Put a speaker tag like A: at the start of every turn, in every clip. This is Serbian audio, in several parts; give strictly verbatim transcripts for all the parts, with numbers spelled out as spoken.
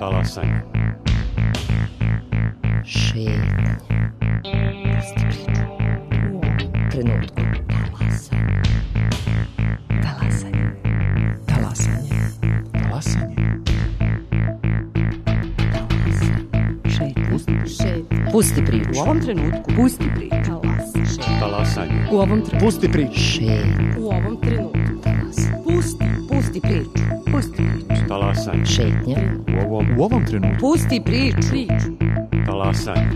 A: Talasanje.
B: Šetnja. Pusti priču. U trenutku. Talasanje. Talasanje. Talasanje.
A: Talasanje.
B: Šetnja.
C: Pusti, šetnja.
B: Pusti priču.
C: U ovom trenutku. Pusti priču. Talasanje.
A: Talasanje.
C: U ovom trenutku.
A: Pusti priču.
B: Šetnja.
C: U ovom trenutku. Talasanje. Pusti. Pusti priču. Pusti priču.
A: Talasanje.
B: Šetnja.
A: U ovom, u ovom trenutku.
C: Pusti priču. Priču.
A: Talasanje.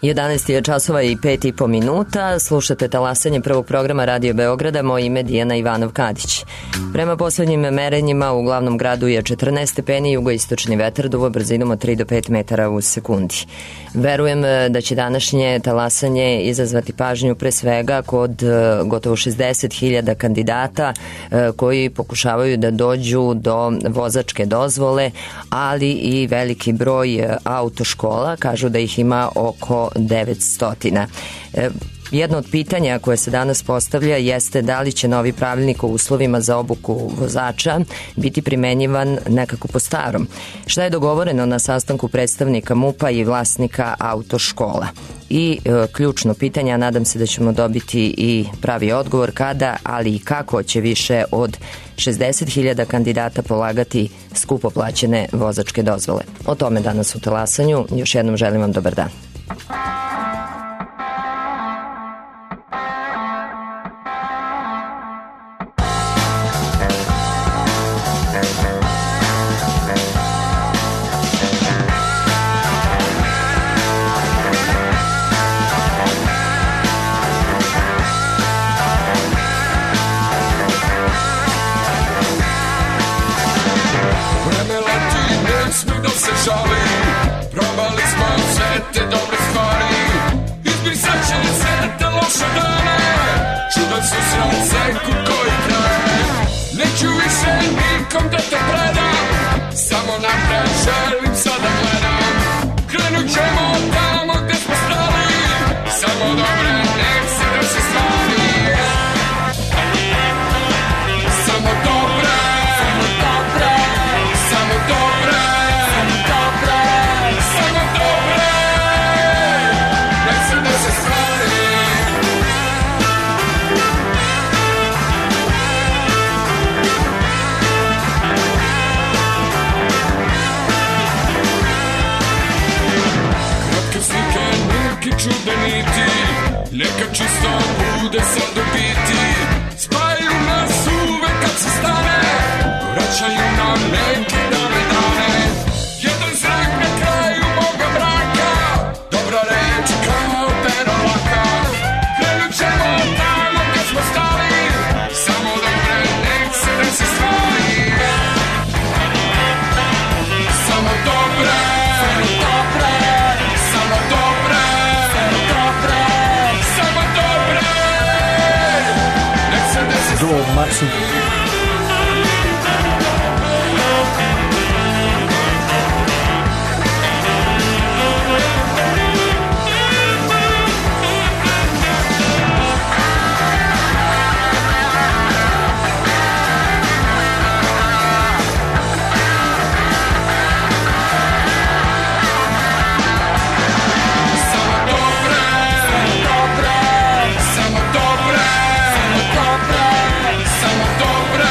B: jedanaest je časova i pet i po minuta. Slušate Talasanje prvog programa Radio Beograda. Moje ime Dijana Ivanov-Kadić. Prema poslednjim merenjima u glavnom gradu je četrnaest stepeni, jugoistočni vetar duva brzinom od tri do pet metara u sekundi. Verujem da će današnje talasanje izazvati pažnju pre svega kod gotovo šezdeset hiljada kandidata koji pokušavaju da dođu do vozačke dozvole, ali i veliki broj autoškola. Kažu da ih ima oko devetsto. Jedno od pitanja koje se danas postavlja jeste da li će novi pravilnik o uslovima za obuku vozača biti primenjivan nekako po starom. Šta je dogovoreno na sastanku predstavnika MUP-a i vlasnika autoškola? I e, ključno pitanje, a nadam se da ćemo dobiti i pravi odgovor, kada, ali i kako će više od šezdeset hiljada kandidata polagati skupo plaćene vozačke dozvole. O tome danas u Talasanju. Još jednom želim vam dobar dan.
D: Probali smo sve te dobre stvari, izbrisat će sve te loše dane, čudan su srce kud koji traje. Neću više nikom da te predam, samo napred želim sada gledam. Krenut ćemo tamo gde smo stali, samo dobre nek se desi stvari. Samo dobre, samo dobre, samo dobre, samo dobre, samo dobre, nek se desi stvari. Kratke slike, neki čudeniti, neka čisto bude sad u biti. Spajaju nas uvek kad se stane, vraćaju nam neke dane dane. Jedan zrak na kraju moga mraka, dobra reč kao pero laka. Krenut ćemo tamo gde smo stali, samo dobre nek se desi stvari. Samo dobre, samo dobre, samo dobre, samo dobre, samo dobre, nek se desi stvari.
E: Do Marcin.
D: Samo dobre, samo dobre, samo dobre,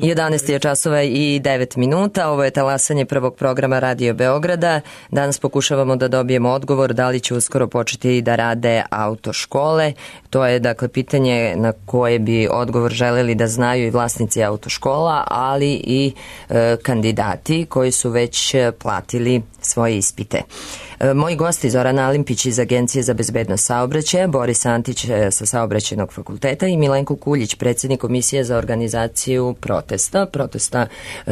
B: jedanaest je časova i devet minuta. Ovo je talasanje prvog programa Radio Beograda. Danas pokušavamo da dobijemo odgovor da li će uskoro početi da rade autoškole. To je dakle pitanje na koje bi odgovor želeli da znaju i vlasnici autoškola, ali i e, kandidati koji su već platili svoje ispite. E, moji gosti Zorana Alimpić iz Agencije za bezbednost saobraćaja, Boris Antić sa Saobraćajnog fakulteta i Milenko Kuljić, predsjednik Komisije za organizaciju protesta. Protesta e,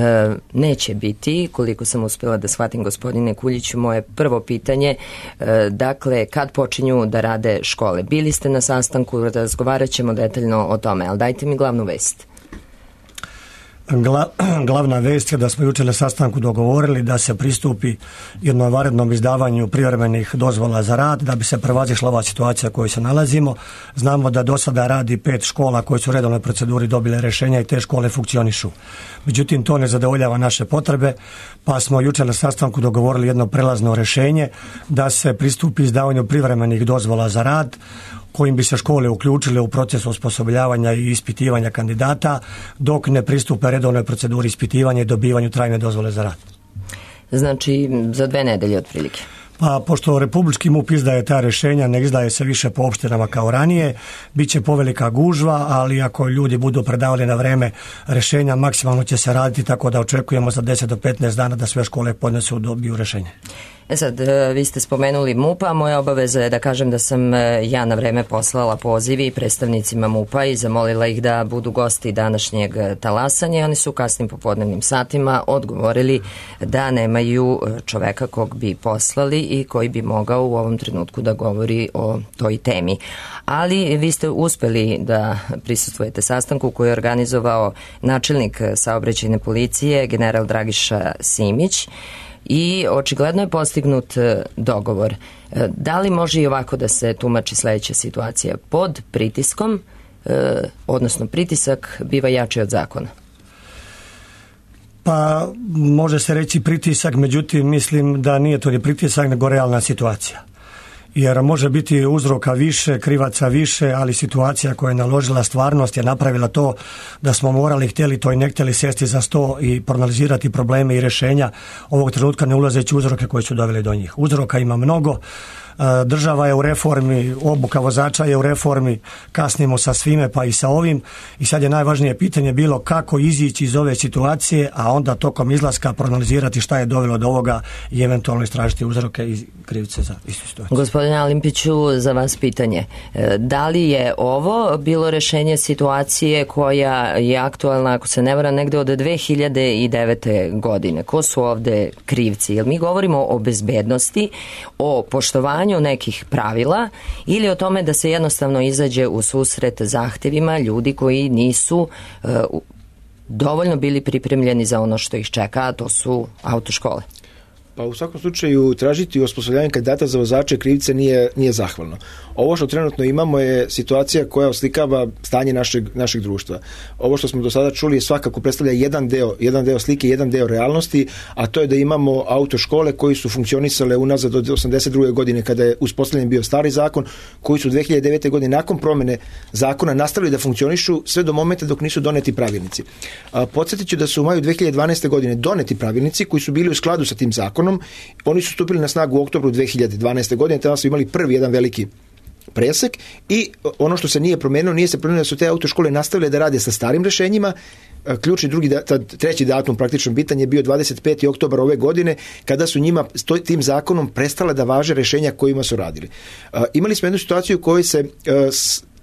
B: neće biti, koliko sam uspjela da shvatim, gospodine Kuljiću. Moje prvo pitanje, e, dakle, kad počinju da rade škole? Bili ste na sastanku, razgovarat ćemo detaljno o tome, ali dajte mi glavnu vest.
E: Gla, glavna vest je da smo jučer na sastanku dogovorili da se pristupi jednom vanrednom izdavanju privremenih dozvola za rad, da bi se prevazišla ova situacija u kojoj se nalazimo. Znamo da do sada radi pet škola koje su u redovnoj proceduri dobile rješenja i te škole funkcionišu. Međutim, to ne zadovoljava naše potrebe, pa smo jučer na sastanku dogovorili jedno prelazno rješenje da se pristupi izdavanju privremenih dozvola za rad, kojim bi se škole uključile u proces osposobljavanja i ispitivanja kandidata dok ne pristupe redovnoj proceduri ispitivanja i dobivanju trajne dozvole za rad.
B: Znači za dve nedelje otprilike.
E: Pa pošto Republički MUP izdaje ta rješenja, ne izdaje se više po opštinama kao ranije, bit će povelika gužva, ali ako ljudi budu predavali na vreme rješenja, maksimalno će se raditi, tako da očekujemo za deset do petnaest dana da sve škole podnesu dobiju rješenje.
B: E sad, vi ste spomenuli MUP-a, moja obaveza je da kažem da sam ja na vreme poslala pozivi predstavnicima MUP-a i zamolila ih da budu gosti današnjeg talasanja. Oni su u kasnim popodnevnim satima odgovorili da nemaju čoveka kog bi poslali i koji bi mogao u ovom trenutku da govori o toj temi. Ali vi ste uspeli da prisustvujete sastanku koji je organizovao načelnik saobraćajne policije, general Dragiša Simić, i očigledno je postignut dogovor. Da li može i ovako da se tumači sljedeća situacija? Pod pritiskom, odnosno pritisak, biva jači od zakona?
E: Pa može se reći pritisak, međutim mislim da nije to ni pritisak nego realna situacija. Jer može biti uzroka više, krivaca više, ali situacija koja je naložila stvarnost je napravila to da smo morali, htjeli to i ne htjeli, sjesti za sto i proanalizirati probleme i rješenja ovog trenutka, ne ulazeći uzroke koji su doveli do njih. Uzroka ima mnogo. Država je u reformi, obuka vozača je u reformi, kasnimo sa svime pa i sa ovim i sad je najvažnije pitanje bilo kako izići iz ove situacije, a onda tokom izlaska proanalizirati šta je dovelo do ovoga i eventualno istražiti uzroke i krivice za istu situaciju.
B: Gospodine Alimpiću, za vas pitanje. Da li je ovo bilo rješenje situacije koja je aktualna, ako se ne varam, negde od dve hiljade devete. godine? Ko su ovde krivci? Jer mi govorimo o bezbednosti, o poštovanju nekih pravila ili o tome da se jednostavno izađe u susret zahtjevima ljudi koji nisu uh, dovoljno bili pripremljeni za ono što ih čeka, a to su autoškole.
F: Pa u svakom slučaju tražiti osposobljavanje kandidata za vozače krivice nije, nije zahvalno. Ovo što trenutno imamo je situacija koja oslikava stanje našeg, našeg društva. Ovo što smo do sada čuli svakako predstavlja jedan deo, jedan deo slike, jedan deo realnosti, a to je da imamo autoškole koji su funkcionisale unazad od osamdeset druge godine kada je uspostavljen bio stari zakon, koji su dve hiljade devete. godine nakon promjene zakona nastavili da funkcionišu sve do momenta dok nisu doneti pravilnici. A, podsjetit ću da su u maju dve hiljade dvanaeste. godine doneti pravilnici koji su bili u skladu sa tim zakonom. Oni su stupili na snagu u oktobru dve hiljade dvanaeste. godine, tada su imali prvi jedan veliki presek i ono što se nije promenilo, nije se promenilo da su te autoškole nastavile da rade sa starim rješenjima. Ključni drugi, treći datum praktično bitan je bio dvadeset peti oktobar ove godine kada su njima tim zakonom prestale da važe rješenja kojima su radili. Imali smo jednu situaciju u kojoj se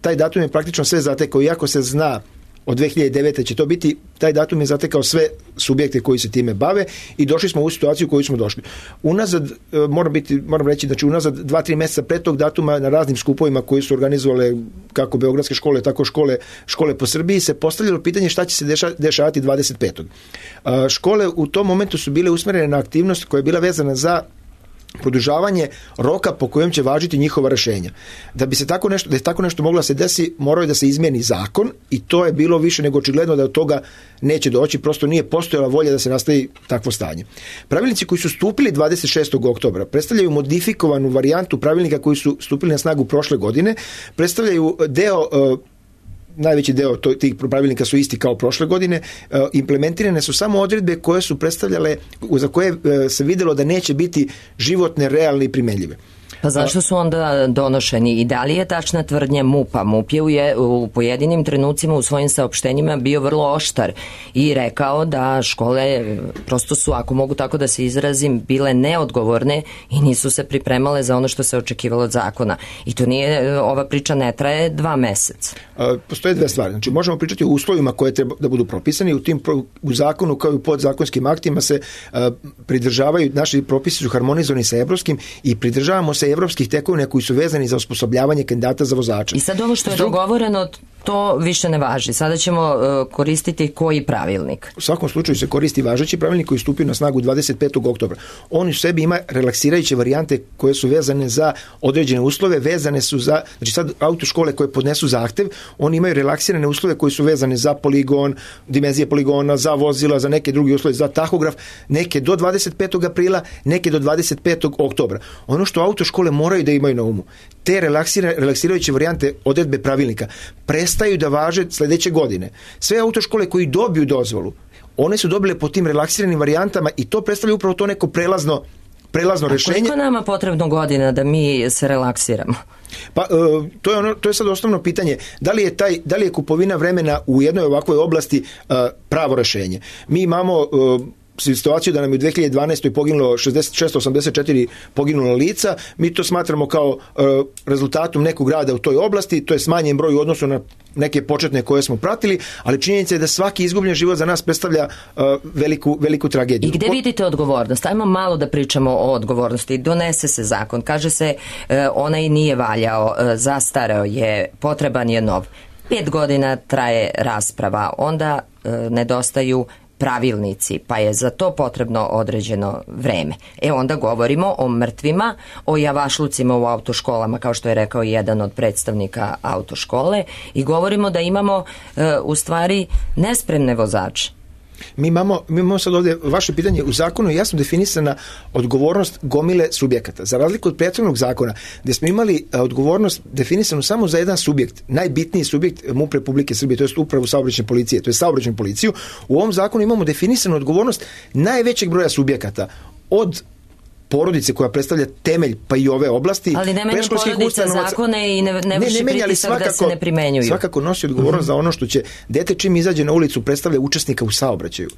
F: taj datum je praktično sve zatekao, iako se zna od dve hiljade devete. će to biti, taj datum je zatekao sve subjekte koji se time bave i došli smo u situaciju u koju smo došli. Unazad, moram, biti, moram reći, znači unazad dva, tri mjeseca pred tog datuma na raznim skupovima koji su organizovale kako beogradske škole, tako škole, škole po Srbiji se postavljalo pitanje šta će se deša, dešavati dvadeset petog. Škole u tom momentu su bile usmjerene na aktivnost koja je bila vezana za produžavanje roka po kojem će važiti njihova rješenja. Da bi se tako nešto, da je tako nešto moglo da se desi, morao je da se izmijeni zakon i to je bilo više nego očigledno da od toga neće doći, prosto nije postojala volja da se nastavi takvo stanje. Pravilnici koji su stupili dvadeset šestog oktobra predstavljaju modifikovanu varijantu pravilnika koji su stupili na snagu prošle godine, predstavljaju deo uh, najveći deo to, tih pravilnika su isti kao prošle godine, uh, implementirane su samo odredbe koje su predstavljale, za koje uh, se videlo da neće biti životne, realne i primenljive.
B: Pa zašto su onda donošeni i da li je tačna tvrdnja MUP-a? MUP je u, je u pojedinim trenucima u svojim saopštenjima bio vrlo oštar i rekao da škole prosto su, ako mogu tako da se izrazim, bile neodgovorne i nisu se pripremale za ono što se očekivalo od zakona. I to nije, ova priča ne traje dva meseca.
F: A, postoje dve stvari. Znači, možemo pričati o uslovima koje treba da budu propisani. U tim u zakonu kao i u podzakonskim aktima se a, pridržavaju, naši propisi su harmonizovani sa evropskim i pridržavamo se evropskih tekovina koji su vezani za osposobljavanje kandidata za vozača.
B: I sad ovo što je Zdrug... dogovoreno, to više ne važi. Sada ćemo uh, koristiti koji pravilnik?
F: U svakom slučaju se koristi važeći pravilnik koji stupio na snagu dvadeset petog oktobra. On u sebi ima relaksirajuće varijante koje su vezane za određene uslove, vezane su za, znači sad autoškole koje podnesu zahtev, oni imaju relaksirane uslove koji su vezane za poligon, dimenzije poligona, za vozila, za neke druge uslove, za tahograf, neke do dvadeset petog aprila, neke do dvadeset petog oktobra. Ono što autoškole moraju da imaju na umu, te relaksirajuće varijante odredbe pravilnika prestaju da važe sledeće godine. Sve autoškole koji dobiju dozvolu, one su dobile po tim relaksiranim varijantama i to predstavlja upravo to neko prelazno prelazno
B: A
F: rešenje.
B: koliko nama potrebno godina da mi se relaksiramo?
F: Pa uh, to je ono, to je sad osnovno pitanje. Da li je taj, da li je kupovina vremena u jednoj ovakvoj oblasti uh, pravo rešenje? Mi imamo uh, situaciju da nam je u dve hiljade dvanaestoj poginulo šezdeset osamdeset četiri poginula lica, mi to smatramo kao uh, rezultatom nekog rada u toj oblasti, to je smanjen broj u odnosu na neke početne koje smo pratili, ali činjenica je da svaki izgubljen život za nas predstavlja uh, veliku, veliku tragediju.
B: I gde vidite odgovornost? Ajmo malo da pričamo o odgovornosti. Donese se zakon, kaže se uh, onaj nije valjao, uh, zastareo je, potreban je nov. Pet godina traje rasprava, onda uh, nedostaju pravilnici, pa je za to potrebno određeno vreme. E onda govorimo o mrtvima, o javašlucima u autoškolama, kao što je rekao jedan od predstavnika autoškole, i govorimo da imamo e, u stvari nespremne vozače.
F: Mi imamo, mi imamo sad ovdje, vaše pitanje, u zakonu je jasno definisana odgovornost gomile subjekata. Za razliku od prethodnog zakona, gdje smo imali odgovornost definisanu samo za jedan subjekt, najbitniji subjekt MUP Republike Srbije, to je upravu saobraćajne policije, to je saobraćajnu policiju, u ovom zakonu imamo definisanu odgovornost najvećeg broja subjekata, od porodice koja predstavlja temelj pa i ove oblasti.
B: Ali ne menja porodica zakone i ne, ne vrši ne, pritisak svakako, da se ne primenjuju.
F: Svakako nosi odgovornost uh-huh. za ono što će dete čim izađe na ulicu predstavlja učesnika u saobraćaju.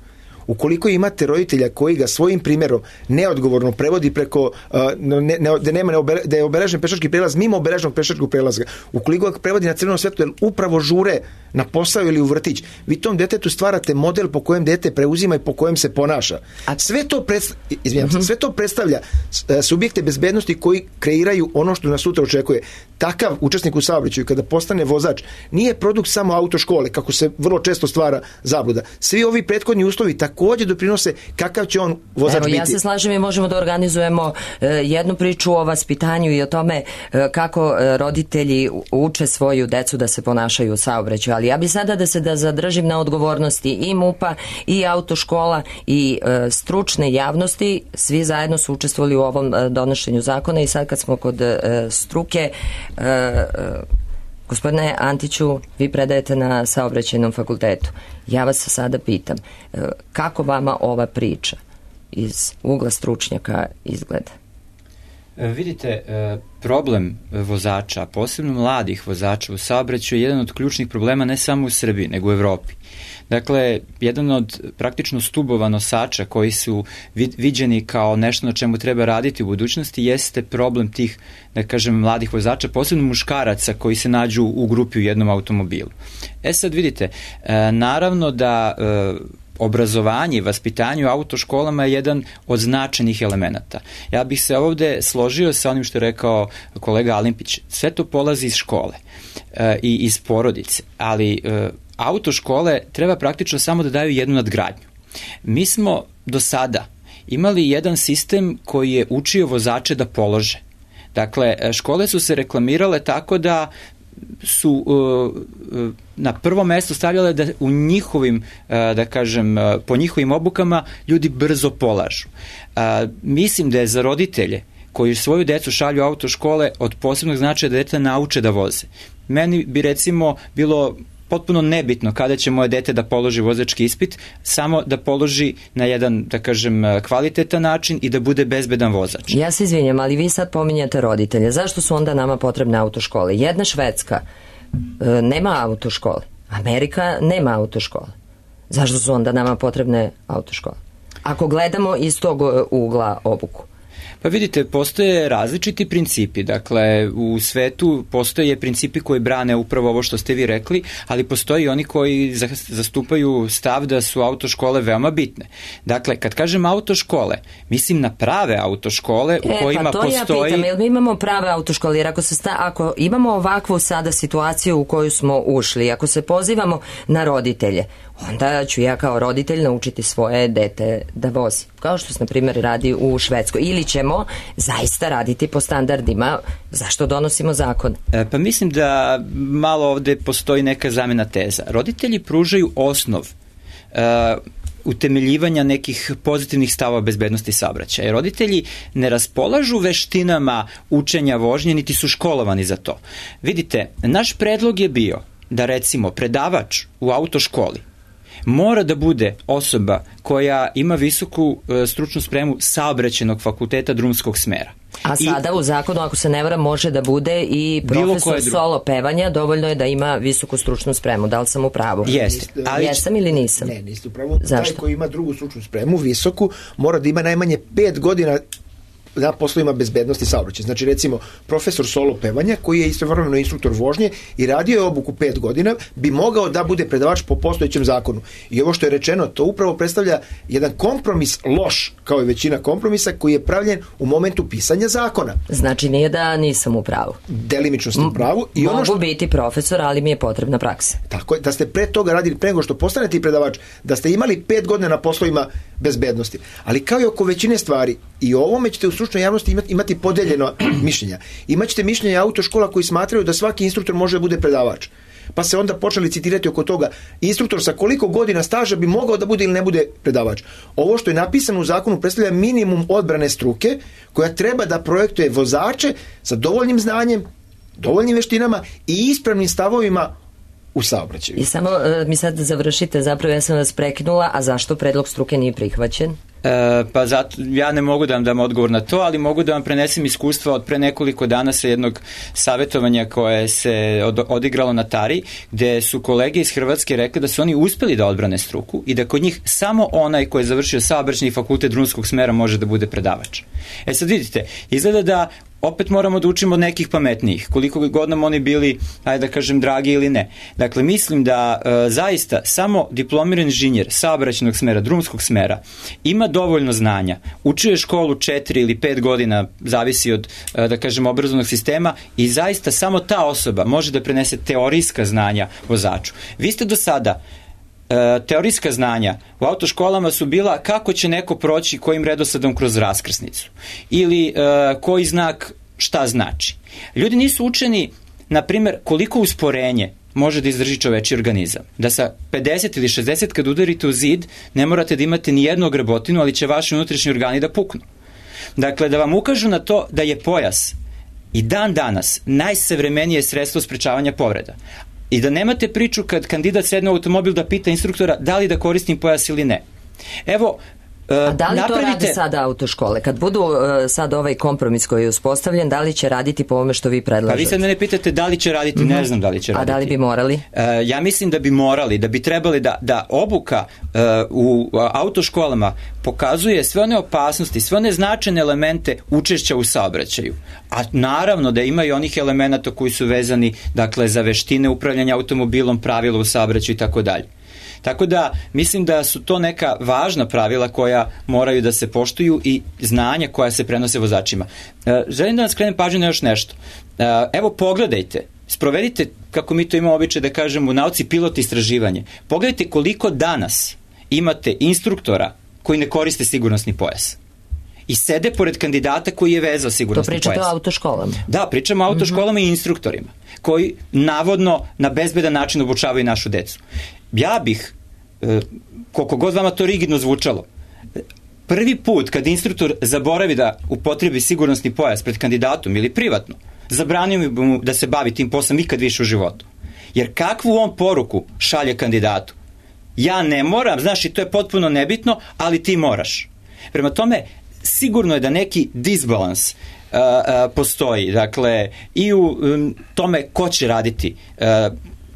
F: Ukoliko imate roditelja koji ga svojim primjerom neodgovorno prevodi preko, uh, ne, ne, da, nema neobele, da je obeležen pešački prelaz mimo obeleženog pešačkog prelaza, ukoliko ga prevodi na crvenom svetlu, jer upravo žure na posao ili u vrtić, vi tom detetu stvarate model po kojem dete preuzima i po kojem se ponaša. A sve to, predst... Izvijem, uh-huh. sve to predstavlja subjekte bezbednosti koji kreiraju ono što nas sutra očekuje. Takav učesnik u saobraćaju kada postane vozač nije produkt samo autoškole, kako se vrlo često stvara zabluda. Svi ovi prethodni uslovi također doprinose kakav će on vozač
B: Evo,
F: biti.
B: Ja se slažem i možemo da organizujemo e, jednu priču o vaspitanju i o tome e, kako e, roditelji uče svoju decu da se ponašaju u saobraćaju. Ali ja bi sada da se da zadržim na odgovornosti i MUP-a i autoškola i e, stručne javnosti. Svi zajedno su učestvovali u ovom e, donošenju zakona i sad kad smo kod e, struke, e, e, gospodine Antiću, vi predajete na saobraćajnom fakultetu. Ja vas sada pitam, kako vama ova priča iz ugla stručnjaka izgleda?
G: Vidite, problem vozača, posebno mladih vozača u saobraćaju je jedan od ključnih problema ne samo u Srbiji, nego u Evropi. Dakle, jedan od praktično stubova nosača koji su viđeni kao nešto na čemu treba raditi u budućnosti jeste problem tih, da kažem, mladih vozača, posebno muškaraca koji se nađu u grupi u jednom automobilu. E sad vidite, naravno da obrazovanje i vaspitanje u autoškolama je jedan od značajnih elemenata. Ja bih se ovde složio sa onim što je rekao kolega Alimpić. Sve to polazi iz škole e, i iz porodice, ali e, autoškole treba praktično samo da daju jednu nadgradnju. Mi smo do sada imali jedan sistem koji je učio vozače da polože. Dakle, škole su se reklamirale tako da su uh, na prvo mesto stavljale da u njihovim, uh, da kažem, uh, po njihovim obukama ljudi brzo polažu. Uh, mislim da je za roditelje koji svoju decu šalju u autoškole od posebnog značaja da dete nauče da voze. Meni bi recimo bilo potpuno nebitno kada će moje dete da položi vozački ispit, samo da položi na jedan, da kažem, kvalitetan način i da bude bezbedan vozač.
B: Ja se izvinjam, ali vi sad pominjate roditelje. Zašto su onda nama potrebne autoškole? Jedna Švedska e, nema autoškole. Amerika nema autoškole. Zašto su onda nama potrebne autoškole? Ako gledamo iz tog ugla obuku.
G: Pa vidite, postoje različiti principi, dakle u svetu postoje principi koji brane upravo ovo što ste vi rekli, ali postoji oni koji zastupaju stav da su autoškole veoma bitne. Dakle, kad kažem autoškole, mislim na prave autoškole u
B: e,
G: kojima
B: pa to
G: postoji...
B: ja pitam, jel mi imamo prave autoškole, jer ako, se sta, ako imamo ovakvu sada situaciju u koju smo ušli, ako se pozivamo na roditelje, onda ću ja kao roditelj naučiti svoje dete da vozi. Kao što se, na primjer, radi u Švedskoj. Ili ćemo zaista raditi po standardima. Zašto donosimo zakon?
G: E, pa mislim da malo ovde postoji neka zamena teza. Roditelji pružaju osnov uh, utemeljivanja nekih pozitivnih stavova bezbednosti saobraćaja. Roditelji ne raspolažu veštinama učenja vožnje, niti su školovani za to. Vidite, naš predlog je bio da, recimo, predavač u autoškoli mora da bude osoba koja ima visoku e, stručnu spremu saobraćajnog fakulteta drumskog smera.
B: A sada I, u zakonu, ako se ne varam, može da bude i profesor solo pevanja, dovoljno je da ima visoku stručnu spremu. Da li sam u pravu?
G: Jeste.
B: Ali, Jesam ili nisam?
F: Ne, niste u pravu. Taj koji ima drugu stručnu spremu, visoku, mora da ima najmanje pet godina na poslovima bezbednosti saobraćaja. Znači, recimo, profesor solo pevanja, koji je istovremeno instruktor vožnje i radio je obuku pet godina, bi mogao da bude predavač po postojećem zakonu. I ovo što je rečeno, to upravo predstavlja jedan kompromis loš, kao i većina kompromisa, koji je pravljen u momentu pisanja zakona.
B: Znači, nije da nisam u pravu.
F: Delimično ste u pravu. I
B: Mogu
F: ono što...
B: biti profesor, ali mi je potrebna praksa.
F: Tako je, da ste pre toga radili, pre nego što postanete predavač, da ste imali pet godina na poslovima bezbednosti. Ali kao i oko većine stvari, i ovome ćete u stručnoj javnosti imati, imati podeljeno mišljenja. Imaćete mišljenja autoškola koji smatraju da svaki instruktor može da bude predavač. Pa se onda počeli citirati oko toga, instruktor sa koliko godina staža bi mogao da bude ili ne bude predavač. Ovo što je napisano u zakonu predstavlja minimum odbrane struke koja treba da projektuje vozače sa dovoljnim znanjem, dovoljnim veštinama i ispravnim stavovima u saobraćaju.
B: I samo uh, mi sad završite, zapravo ja sam vas prekinula, a zašto predlog struke nije prihvaćen?
G: E, pa zato, ja ne mogu da vam dam odgovor na to, ali mogu da vam prenesem iskustva od pre nekoliko dana sa jednog savjetovanja koje se od, odigralo na Tari, gde su kolege iz Hrvatske rekli da su oni uspeli da odbrane struku i da kod njih samo onaj koji je završio saobraćajni fakultet drumskog smera može da bude predavač. E sad vidite, izgleda da opet moramo da učimo od nekih pametnijih, koliko god nam oni bili, ajde da kažem, dragi ili ne. Dakle, mislim da e, zaista samo diplomirani inženjer saobraćajnog smera, drumskog smera, ima dovoljno znanja, učio je školu četiri ili pet godina, zavisi od, e, da kažem, obrazovnog sistema i zaista samo ta osoba može da prenese teorijska znanja vozaču. Vi ste do sada E, teorijska znanja u autoškolama su bila kako će neko proći kojim redosledom kroz raskrsnicu ili e, koji znak šta znači. Ljudi nisu učeni, na primjer, koliko usporenje može da izdrži čoveči organizam. Da sa pedeset ili šezdeset kad udarite u zid ne morate da imate ni jednu grebotinu, ali će vaši unutrašnji organi da puknu. Dakle, da vam ukažu na to da je pojas i dan danas najsavremenije sredstvo sprečavanja povreda. I da nemate priču kad kandidat sedne u automobil da pita instruktora da li da koristim pojas ili ne. Evo,
B: a da li napravite... to rade sada autoškole? Kad budu uh, sad ovaj kompromis koji je uspostavljen, da li će raditi po ovome što vi predlažete?
G: Pa vi sad mene pitate da li će raditi, mm-hmm. ne znam da li će raditi.
B: A da li bi morali?
G: Uh, ja mislim da bi morali, da bi trebali da, da obuka uh, u autoškolama pokazuje sve one opasnosti, sve one značajne elemente učešća u saobraćaju. A naravno da ima i onih elemenata koji su vezani, dakle, za veštine upravljanja automobilom, pravila u saobraćaju i tako dalje. Tako da mislim da su to neka važna pravila koja moraju da se poštuju i znanja koja se prenose vozačima. E, želim da vam skrenem pažnju na još nešto. E, evo pogledajte, sprovedite, kako mi to imamo običaj da kažemo u nauci, pilot istraživanje. Pogledajte koliko danas imate instruktora koji ne koriste sigurnosni pojas i sede pored kandidata koji je vezao sigurnosni pojas.
B: To pričate o autoškolama?
G: Da, pričamo o autoškolama mm-hmm. i instruktorima koji navodno na bezbedan način obučavaju našu decu. Ja bih, e, koliko god vama to rigidno zvučalo, prvi put kad instruktor zaboravi da upotrebi sigurnosni pojas pred kandidatom ili privatno, zabranio bi mu da se bavi tim poslom nikad više u životu. Jer kakvu on poruku šalje kandidatu? Ja ne moram, znaš, i to je potpuno nebitno, ali ti moraš. Prema tome, sigurno je da neki disbalans uh, uh, postoji, dakle, i u um, tome ko će raditi uh,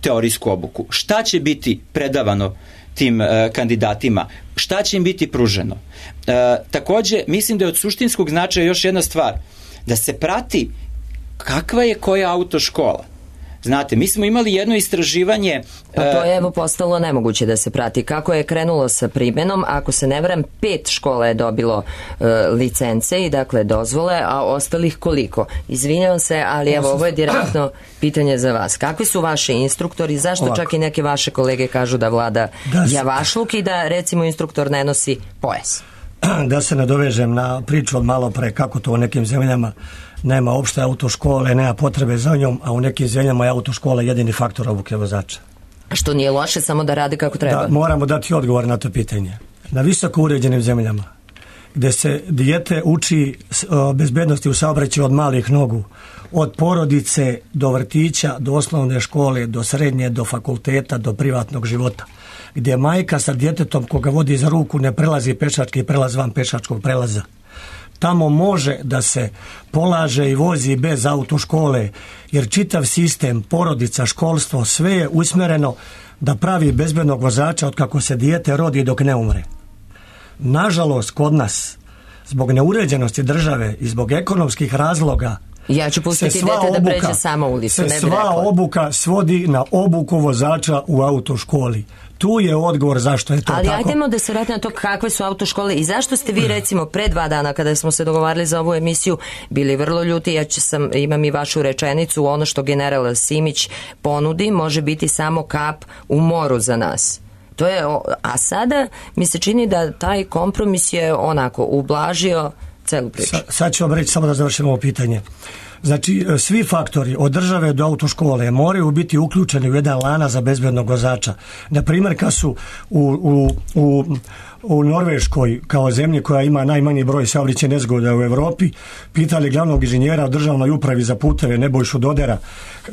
G: teorijsku obuku, šta će biti predavano tim uh, kandidatima, šta će im biti pruženo. Uh, takođe, mislim da je od suštinskog značaja još jedna stvar, da se prati kakva je koja autoškola. Znate, mi smo imali jedno istraživanje...
B: Pa to je evo postalo nemoguće da se prati. Kako je krenulo sa primenom, ako se ne varam, pet škola je dobilo e, licence i dakle dozvole, a ostalih koliko? Izvinjavam se, ali evo ovo je direktno pitanje za vas. Kakvi su vaši instruktori? Zašto Ovako. čak i neke vaše kolege kažu da vlada da se... javašluk i da recimo instruktor ne nosi pojas?
E: Da se nadovežem na priču od malo pre, kako to u nekim zemljama nema opšte autoškole, nema potrebe za njom, a u nekim zemljama je autoškola jedini faktor obuke vozača.
B: Što nije loše, samo da radi kako treba.
E: Da, moramo dati odgovor na to pitanje. Na visoko uređenim zemljama, gde se dijete uči o bezbednosti u saobraćaju od malih nogu, od porodice do vrtića, do osnovne škole, do srednje, do fakulteta, do privatnog života, gdje majka sa djetetom koga vodi za ruku ne prelazi pešački prelaz van pešačkog prelaza. Tamo može da se polaže i vozi bez autoškole, jer čitav sistem, porodica, školstvo, sve je usmjereno da pravi bezbednog vozača od kako se dijete rodi dok ne umre. Nažalost, kod nas, zbog neuređenosti države i zbog ekonomskih razloga,
B: ja ću pustiti dete da pređe samo ulicu,
E: se
B: ne bi
E: sva
B: rekla.
E: obuka svodi na obuku vozača u autoškoli. Tu je odgovor zašto je to
B: Ali
E: tako.
B: Ali ajdemo da se vratimo na to kakve su autoškole i zašto ste vi recimo pre dva dana kada smo se dogovarali za ovu emisiju bili vrlo ljuti. Ja ću sam, imam i vašu rečenicu, ono što general Simić ponudi može biti samo kap u moru za nas. To je, a sada mi se čini da taj kompromis je onako ublažio celu priču.
E: Sa, sad ću vam reći samo da završimo ovo pitanje. Znači, svi faktori od države do autoškole moraju biti uključeni u jedan lanac za bezbednog vozača. Na primjer, kad su u, u, u, u Norveškoj, kao zemlji koja ima najmanji broj saobraćajnih nezgoda u Evropi, pitali glavnog inženjera u državnoj upravi za puteve Nebojšu Dodera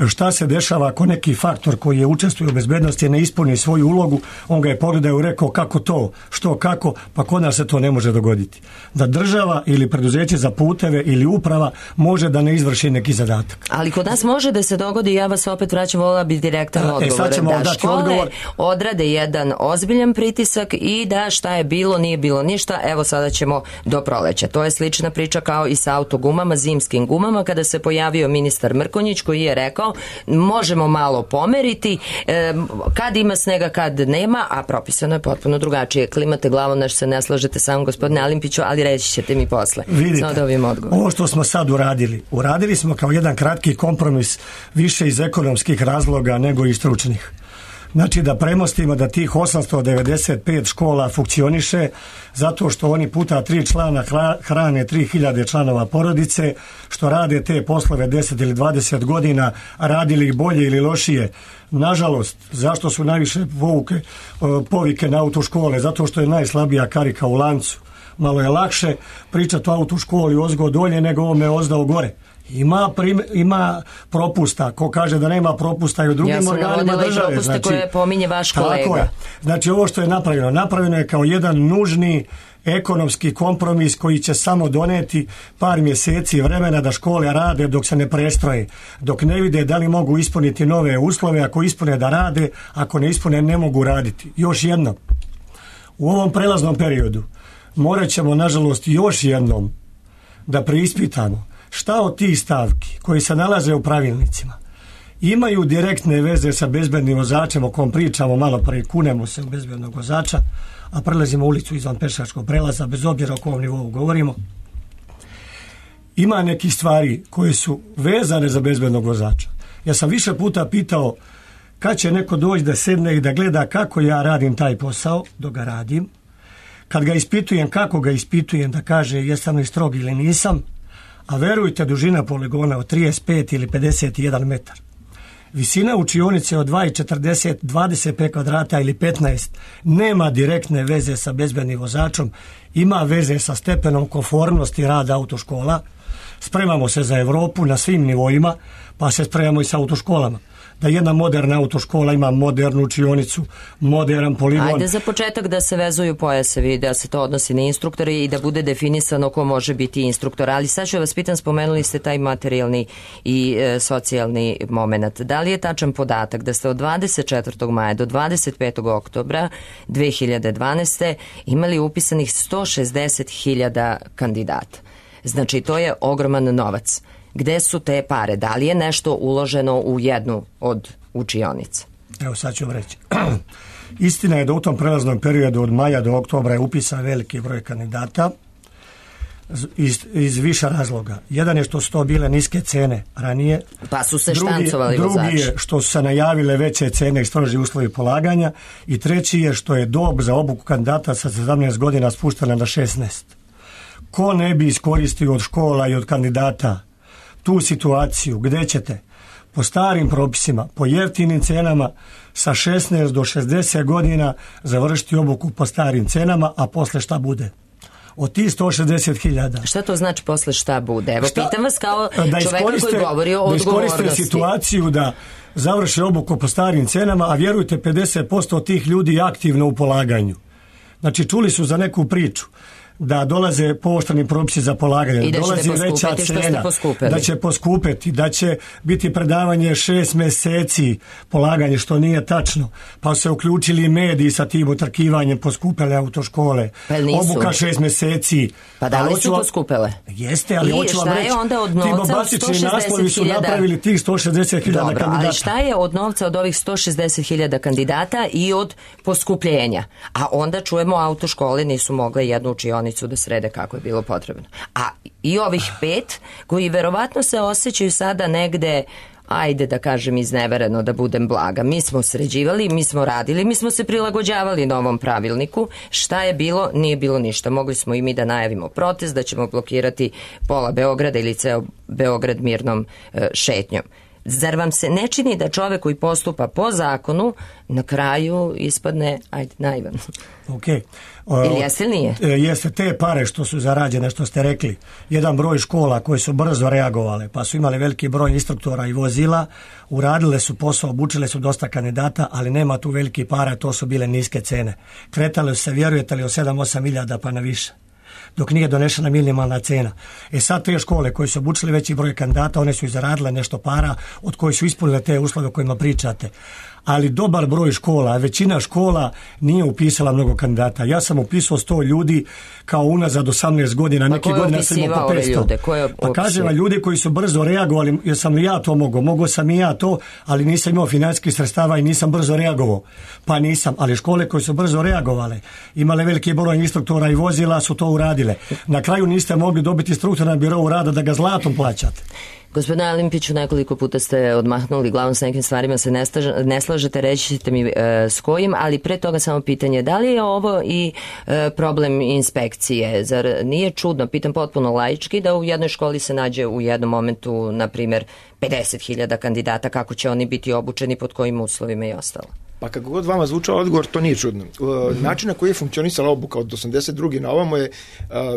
E: šta se dešava ako neki faktor koji je učestvuje u bezbednosti ne ispuni svoju ulogu. On ga je pogledao i rekao kako to, što, kako, pa kod nas se to ne može dogoditi. Da država ili preduzeće za puteve ili uprava može da ne izvrši neki zadatak.
B: Ali kod nas može da se dogodi, ja vas opet vraćam, volila bi direktan
E: e,
B: odgovor, da škole
E: odgovor.
B: odrade jedan ozbiljan pritisak i da šta je bilo, nije bilo ništa, evo sada ćemo do proleća. To je slična priča kao i sa autogumama, zimskim gumama, kada se pojavio ministar Mrkonjić koji je rekao možemo malo pomeriti, e, kad ima snega, kad nema, a propisano je potpuno drugačije. Klimate glavom, nešto se ne slažete sa mnom, gospodine Alimpiću, ali reći ćete mi posle.
E: Vidite,
B: da
E: ovo što smo sad uradili, uradili smo kao jedan kratki kompromis više iz ekonomskih razloga nego i stručnih. Znači da premostimo da tih osamsto devedeset pet škola funkcioniše zato što oni puta tri člana hrane tri hiljade članova porodice, što rade te poslove deset ili dvadeset godina, radili ih bolje ili lošije. Nažalost, zašto su najviše povuke, povike na autoškole? Zato što je najslabija karika u lancu. Malo je lakše pričati o autoškoli ozgo dolje nego ovome ozdao gore. Ima, prim, ima propusta. Ko kaže da nema propusta i u drugim
B: ja
E: organima države.
B: Ja sam znači, koje pominje vaš kolega.
E: Tako je. Znači ovo što je napravljeno, napravljeno je kao jedan nužni ekonomski kompromis koji će samo doneti par mjeseci vremena da škole rade dok se ne prestroje, dok ne vide da li mogu ispuniti nove uslove, ako ispune da rade, ako ne ispune ne mogu raditi. Još jednom, u ovom prelaznom periodu morat ćemo nažalost još jednom da preispitamo šta od tih stavki koji se nalaze u pravilnicima imaju direktne veze sa bezbednim vozačem o kom pričamo malo pre, kunemo se u bezbednog vozača, a prelazimo ulicu izvan pešačkog prelaza, bez obzira o kom nivou govorimo. Ima neki stvari koje su vezane za bezbednog vozača. Ja sam više puta pitao kad će neko doći da sedne i da gleda kako ja radim taj posao, dok ga radim. Kad ga ispitujem, kako ga ispitujem, da kaže jesam li strog ili nisam, a verujte, dužina poligona od trideset pet ili pedeset jedan metar. Visina učionice od dva četrdeset, dvadeset pet kvadrata ili petnaest nema direktne veze sa bezbednim vozačom, ima veze sa stepenom konformnosti rada autoškola. Spremamo se za Evropu na svim nivoima, pa se spremamo i sa autoškolama. da jedna moderna autoškola ima modernu učionicu, modern poligon.
B: Ajde za početak da se vezuju pojasevi, da se to odnosi na instruktore i da bude definisano ko može biti instruktor. Ali sad ću vas pitam, spomenuli ste taj materijalni i e, socijalni moment. Da li je tačan podatak da ste od dvadeset četvrtog maja do dvadeset petog oktobra dve hiljade dvanaeste. imali upisanih sto šezdeset hiljada kandidata? Znači, to je ogroman novac. Gde su te pare? Da li je nešto uloženo u jednu od učionica?
E: Evo sad ću vam reći. Istina je da u tom prelaznom periodu od maja do oktobra je upisan veliki broj kandidata iz, iz više razloga. Jedan je što su to bile niske cene ranije.
B: Pa su se
E: drugi,
B: štancovali vozači.
E: Drugi je što su se najavile veće cene i stroži uslovi polaganja. I treći je što je dob za obuku kandidata sa sedamnaest godina spuštena na šesnaest. Ko ne bi iskoristio od škola i od kandidata tu situaciju gde ćete po starim propisima, po jeftinim cenama sa šesnaest do šezdeset godina završiti obuku po starim cenama, a posle šta bude? Od tih sto šezdeset hiljada.
B: Šta to znači posle šta bude? Evo,
E: šta,
B: pitam vas kao
E: da
B: čoveka koji govori o odgovornosti. Da iskoriste
E: situaciju da završe obuku po starim cenama, a vjerujte, pedeset posto od tih ljudi je aktivno u polaganju. Znači, čuli su za neku priču da dolaze pooštreni propisi za polaganje, da dolazi veća cena, da će poskupeti, da će biti predavanje šest meseci polaganje, što nije tačno, pa se uključili mediji sa tim utrkivanjem, poskupele autoškole,
B: pa
E: obuka šest meseci.
B: Pa da li su poskupele?
E: Jeste, ali
B: I
E: hoću vam reći, ti bombastični naslovi su napravili tih sto šezdeset hiljada kandidata.
B: Ali šta je od novca od ovih sto šezdeset hiljada kandidata i od poskupljenja? A onda čujemo, autoškole nisu mogle jednu učionicu da srede kako je bilo potrebno. A i ovih pet koji verovatno se osjećaju sada negde, ajde da kažem iznevereno, da budem blaga. Mi smo sređivali, mi smo radili, mi smo se prilagođavali novom pravilniku. Šta je bilo? Nije bilo ništa. Mogli smo i mi da najavimo protest, da ćemo blokirati pola Beograda ili ceo Beograd mirnom e, šetnjom. Zar vam se ne čini da čovek koji postupa po zakonu na kraju ispadne, ajde, naivan?
E: Ok.
B: Ili jeste ili nije?
E: Jeste, te pare što su zarađene, što ste rekli, jedan broj škola koje su brzo reagovale, pa su imali veliki broj instruktora i vozila, uradile su posao, obučile su dosta kandidata, ali nema tu veliki para, to su bile niske cene. Kretale su se, vjerujete li, od sedam osam hiljada pa na više, dok nije donešena minimalna cena. E sad te škole koje su obučili veći broj kandidata, one su i zaradile nešto para od kojih su ispunile te uslove o kojima pričate. Ali dobar broj škola, većina škola nije upisala mnogo kandidata. Ja sam upisao sto ljudi kao unazad osamnaest godina, neki godina sam imao po petsto. Pa kažem, ljudi koji su brzo reagovali, jer sam li ja to mogao, mogao sam i ja to, ali nisam imao financijskih sredstava i nisam brzo reagovao. Pa nisam, ali škole koje su brzo reagovale, imale veliki broj instruktora i vozila, su to uradile. Na kraju niste mogli dobiti instruktora na birou rada da ga zlatom plaćate.
B: Gospodine Alimpiću, nekoliko puta ste odmahnuli glavom, sa nekim stvarima se ne, staž, ne slažete, reći ćete mi e, s kojim, ali pre toga samo pitanje, da li je ovo i e, problem inspekcije? Zar nije čudno, pitam potpuno laički, da u jednoj školi se nađe u jednom momentu, na primjer, pedeset hiljada kandidata, kako će oni biti obučeni, pod kojim uslovima i ostalo?
F: Pa kako god vama zvučao odgovor, to nije čudno. Način na koji je funkcionisala obuka od osamdeset druge na ovamo je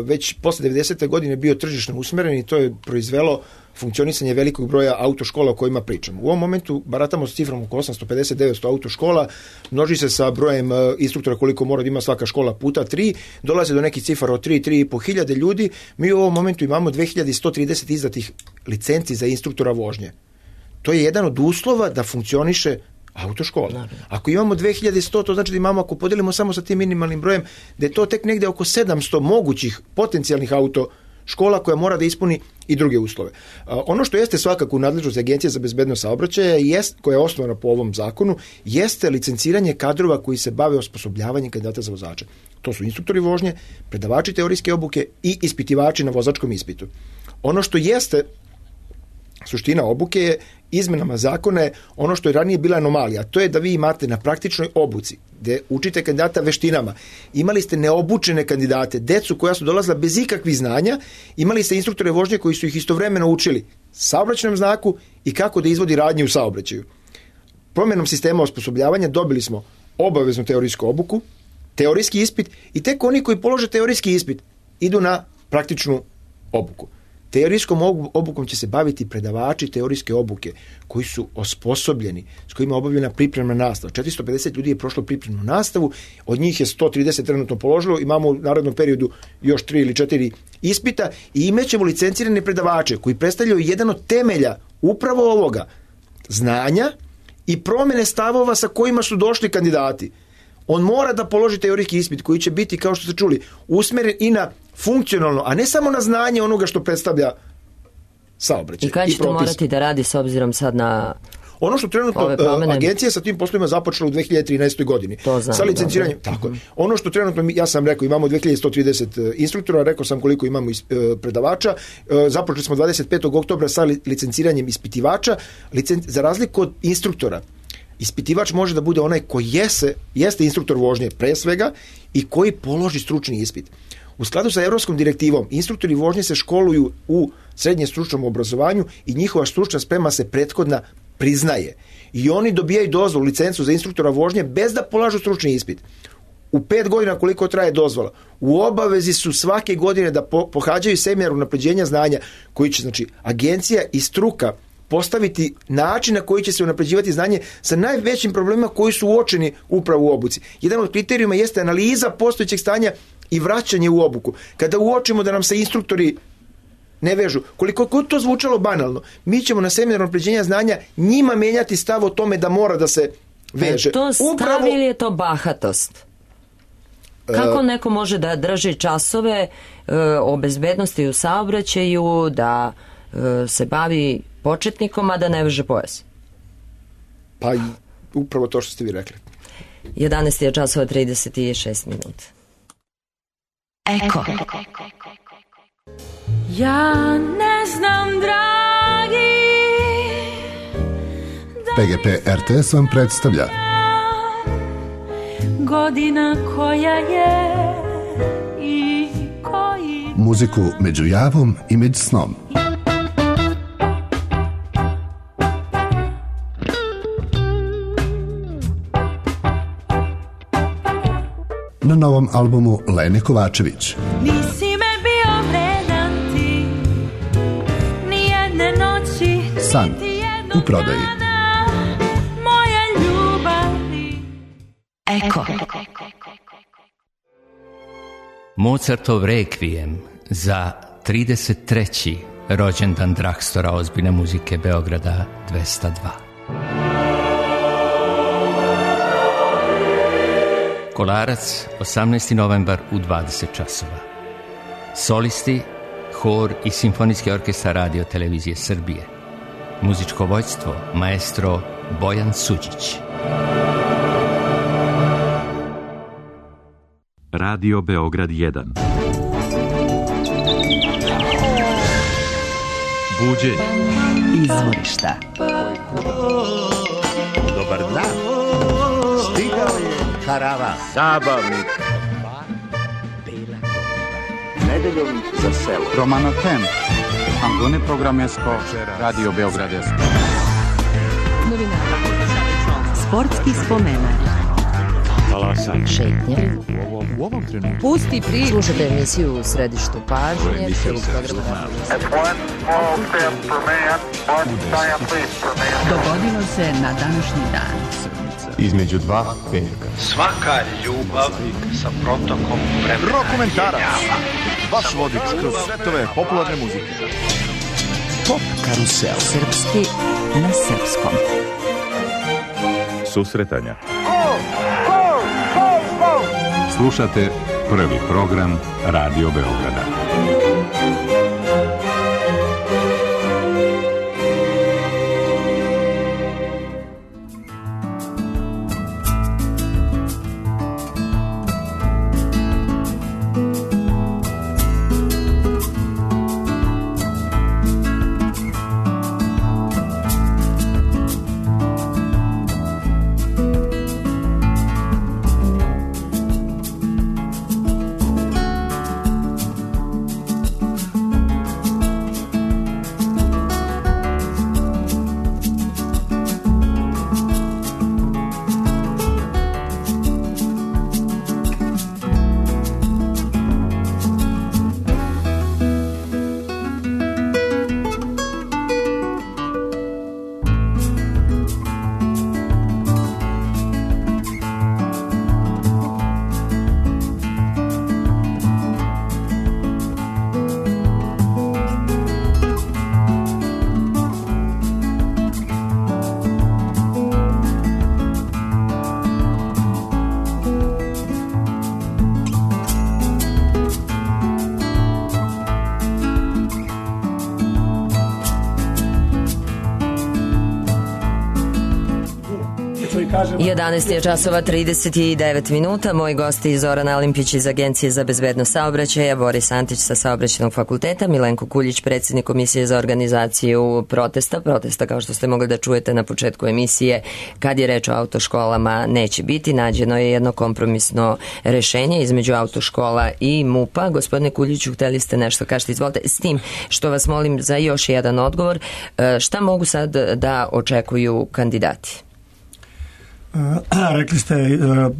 F: već posle devedesete godine bio tržišno usmeren i to je proizvelo funkcionisanje velikog broja autoškola o kojima pričamo. U ovom momentu baratamo s cifrom oko osamsto pedeset do devetsto autoškola, množi se sa brojem instruktora koliko mora da ima svaka škola puta tri, dolaze do nekih cifara od tri, tri i po hiljade ljudi. Mi u ovom momentu imamo dve hiljade sto trideset izdatih licenci za instruktora vožnje. To je jedan od uslova da funkcioniše autoškola. Ako imamo dve hiljade sto, to znači da imamo, ako podelimo samo sa tim minimalnim brojem, da je to tek negde oko sedamsto mogućih potencijalnih autoškola koja mora da ispuni i druge uslove. Ono što jeste svakako u nadležnosti Agencije za bezbednost saobraćaja, jest, koja je osnovana po ovom zakonu, jeste licenciranje kadrova koji se bave osposobljavanjem kandidata za vozače. To su instruktori vožnje, predavači teorijske obuke i ispitivači na vozačkom ispitu. Ono što jeste suština obuke je izmenama zakona je ono što je ranije bila anomalija, to je da vi imate na praktičnoj obuci, gde učite kandidata veštinama, imali ste neobučene kandidate, decu koja su dolazila bez ikakvih znanja, imali ste instruktore vožnje koji su ih istovremeno učili saobraćajnom znaku i kako da izvodi radnje u saobraćaju. Promjenom sistema osposobljavanja dobili smo obaveznu teorijsku obuku, teorijski ispit i tek oni koji polože teorijski ispit idu na praktičnu obuku. Teorijskom obukom će se baviti predavači teorijske obuke koji su osposobljeni, s kojima je obavljena pripremna nastava. četiristo pedeset ljudi je prošlo pripremnu nastavu, od njih je sto trideset trenutno položilo, imamo u narednom periodu još tri ili četiri ispita i imaćemo licencirane predavače koji predstavljaju jedan od temelja upravo ovoga znanja i promjene stavova sa kojima su došli kandidati. On mora da položi teorijski ispit koji će biti, kao što ste čuli, usmjeren i na funkcionalno, a ne samo na znanje onoga što predstavlja saobraćaj.
B: I kada ćete morati da radi s obzirom sad na
F: ono što trenutno uh, agencija sa tim poslovima započela u dve hiljade trinaestoj godini.
B: To znam,
F: sa licenciranjem. Dobro. Tako. Mm-hmm. Ono što trenutno, ja sam rekao, imamo dve hiljade sto trideset instruktora, rekao sam koliko imamo is, uh, predavača. Uh, započeli smo dvadeset petog oktobra sa li, licenciranjem ispitivača. Licen, za razliku od instruktora, ispitivač može da bude onaj koji jese, jeste instruktor vožnje pre svega i koji položi stručni ispit. U skladu sa Evropskom direktivom, instruktori vožnje se školuju u srednje stručnom obrazovanju i njihova stručna sprema se prethodna priznaje. I oni dobijaju dozvolu, licencu za instruktora vožnje bez da polažu stručni ispit. U pet godina koliko traje dozvola, u obavezi su svake godine da po, pohađaju seminar unapređenja znanja koji će, znači, agencija i struka postaviti način na koji će se unapređivati znanje sa najvećim problemima koji su uočeni upravo u obuci. Jedan od kriterijuma jeste analiza postojećeg stanja i vraćanje u obuku. Kada uočimo da nam se instruktori ne vežu, koliko god to zvučalo banalno, mi ćemo na seminaru unapređenja znanja njima menjati stav o tome da mora da se veže.
B: Je to stav Upravo... ili je to bahatost? Kako neko može da drži časove e, o bezbednosti u saobraćaju, da e, se bavi početnikom, a da ne veže pojas?
F: Pa upravo to što ste vi rekli.
B: jedanaest je časova trideset šest minuta.
C: Eko. Ja ne znam, dragi,
H: P G P R T S vam predstavlja
C: godina koja je i koji
H: muziku među javom i među snom. Na novom albumu Lene Kovačević.
C: Nisi me bio vredan ti, nijedne noći,
H: San u prodaji.
C: Moja ljubavi.
I: Eko. Mozartov rekvijem za trideset treći rođendan Drakstora ozbiljne muzike Beograda dvesta dva. Kolarac, osamnaesti novembar u dvadeset časova. Solisti, hor i simfonijski orkestar Radio Televizije Srbije. Muzičko vođstvo, maestro Bojan Suđić.
J: Radio Beograd jedan. Buđenje.
K: Izvorišta.
L: Dobar dan. Stigao je karavan. Zabavnik. Nedeljom za selo.
M: Romano Tem. Angone programesko. Radio Beograd jedan.
K: Sportski spomenak.
A: Talasanje.
B: Šetnje.
A: U ovom, u ovom trenutku.
C: Pusti priču.
B: Slušate emisiju U središtu pažnje.
K: Dogodilo se na današnji dan.
L: Između dva petka.
N: Svaka ljubav sa protokom vremena.
L: Rokomentarac. Vaš vodič kroz svetove popularne muzike. Pop karusel.
K: Srpski na srpskom.
J: Susretanja.
O: Slušate prvi program Radio Beograda.
B: jedanaest je časova trideset devet minuta. Moji gosti Zoran Alimpić iz Agencije za bezbednost saobraćaja, Boris Antić sa Saobraćajnog fakulteta, Milenko Kuljić, predsjednik Komisije za organizaciju protesta. Protesta, kao što ste mogli da čujete na početku emisije, kad je reč o autoškolama, neće biti. Nađeno je jedno kompromisno rešenje između autoškola i MUP-a. Gospodine Kuljiću, hteli ste nešto kažete, izvolite. S tim što vas molim za još jedan odgovor, šta mogu sad da očekuju kandidati?
E: Rekli ste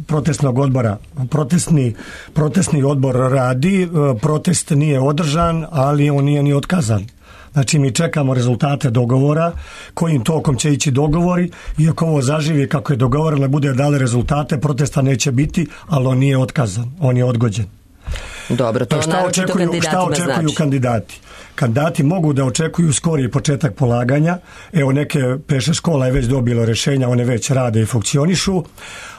E: protestnog odbora. Protestni, protestni odbor radi, protest nije održan, ali on nije ni otkazan. Znači mi čekamo rezultate dogovora, kojim tokom će ići dogovori i ako ovo zaživi kako je dogovoreno, bude dale rezultate, protesta neće biti, ali on nije otkazan, on je odgođen.
B: Dobro, to
E: šta očekuju, šta očekuju
B: znači?
E: kandidati? Kandidati mogu da očekuju skoriji početak polaganja. Evo, neke peše škola je već dobilo rješenja, one već rade i funkcionišu,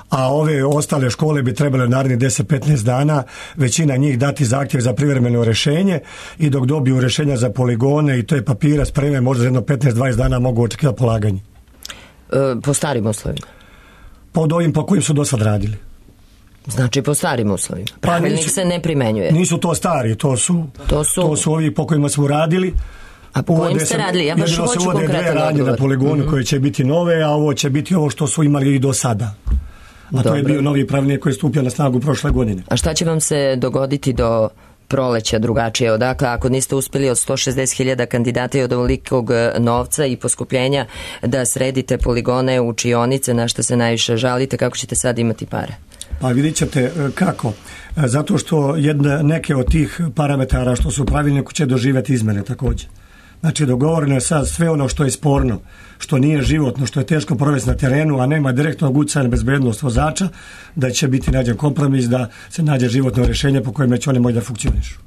E: a ove ostale škole bi trebale narednih deset do petnaest dana većina njih dati zahtjev za privremeno rješenje i dok dobiju rješenja za poligone i to je papira spreme, možda za jedno petnaest do dvadeset dana mogu očekivati polaganje.
B: E, po starim uslovima?
E: Pod ovim po kojim su do sad radili.
B: Znači po starim uslovima. Pravilnik pa nisu, se ne primenjuje.
E: Nisu to stari, to su,
B: to su,
E: to su ovi po kojima smo radili.
B: A po kojim ste radili? Ja baš hoću konkretan odgovor. Dve radnje na poligonu mm-hmm.
E: koje će biti nove, a ovo će biti ovo što su imali i do sada. A Dobro. To je bio novi pravilnik koji je stupio na snagu prošle godine.
B: A šta će vam se dogoditi do proleća drugačije? Odakle, ako niste uspjeli od sto šezdeset hiljada kandidata i od ovolikog novca i poskupljenja da sredite poligone, učionice, na što se najviše žalite, kako ćete sad imati pare?
E: Pa vidjet ćete kako. Zato što jedne, neke od tih parametara što su u pravilniku će doživjeti izmene također. Znači dogovoreno je sad sve ono što je sporno, što nije životno, što je teško provesti na terenu, a nema direktnog utjecaja na bezbednost vozača, da će biti nađen kompromis, da se nađe životno rješenje po kojem će oni moći da funkcionišu.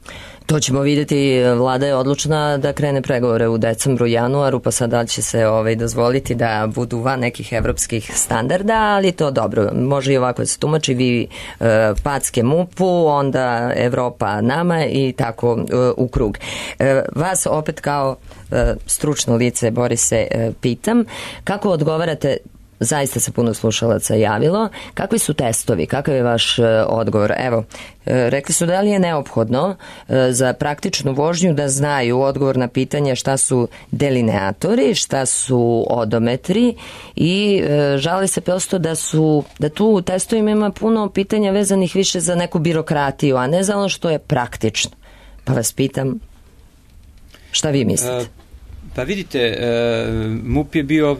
B: To ćemo vidjeti. Vlada je odlučna da krene pregovore u decembru, januaru, pa sad da će se ovaj, dozvoliti da budu van nekih evropskih standarda, ali to dobro. Može i ovako da se tumači, vi e, packe MUP-u, onda Evropa nama i tako e, u krug. E, vas opet kao e, stručno lice, Borise, e, pitam, kako odgovarate, zaista se puno slušalaca javilo, kakvi su testovi, kakav je vaš e, odgovor? Evo, e, rekli su da li je neophodno e, za praktičnu vožnju da znaju odgovor na pitanje šta su delineatori, šta su odometri i e, žali se prosto da su, da tu u testovima ima puno pitanja vezanih više za neku birokratiju, a ne za ono što je praktično. Pa vas pitam, šta vi mislite?
G: Uh... Pa vidite, e, MUP je bio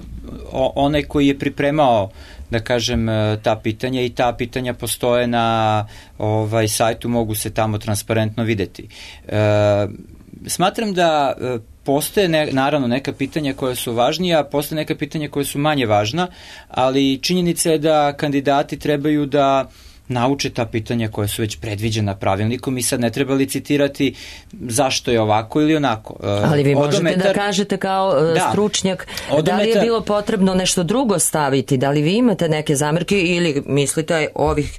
G: onaj koji je pripremao, da kažem, ta pitanja i ta pitanja postoje na ovaj sajtu, mogu se tamo transparentno videti. E, smatram da postoje ne, naravno neka pitanja koja su važnija, postoje neka pitanja koja su manje važna, ali činjenica je da kandidati trebaju da nauče ta pitanja koja su već predviđena pravilnikom i sad ne treba licitirati zašto je ovako ili onako.
B: Ali vi možete Odometar, da kažete kao da, stručnjak odometar, da li je bilo potrebno nešto drugo staviti, da li vi imate neke zamerke ili mislite ovih,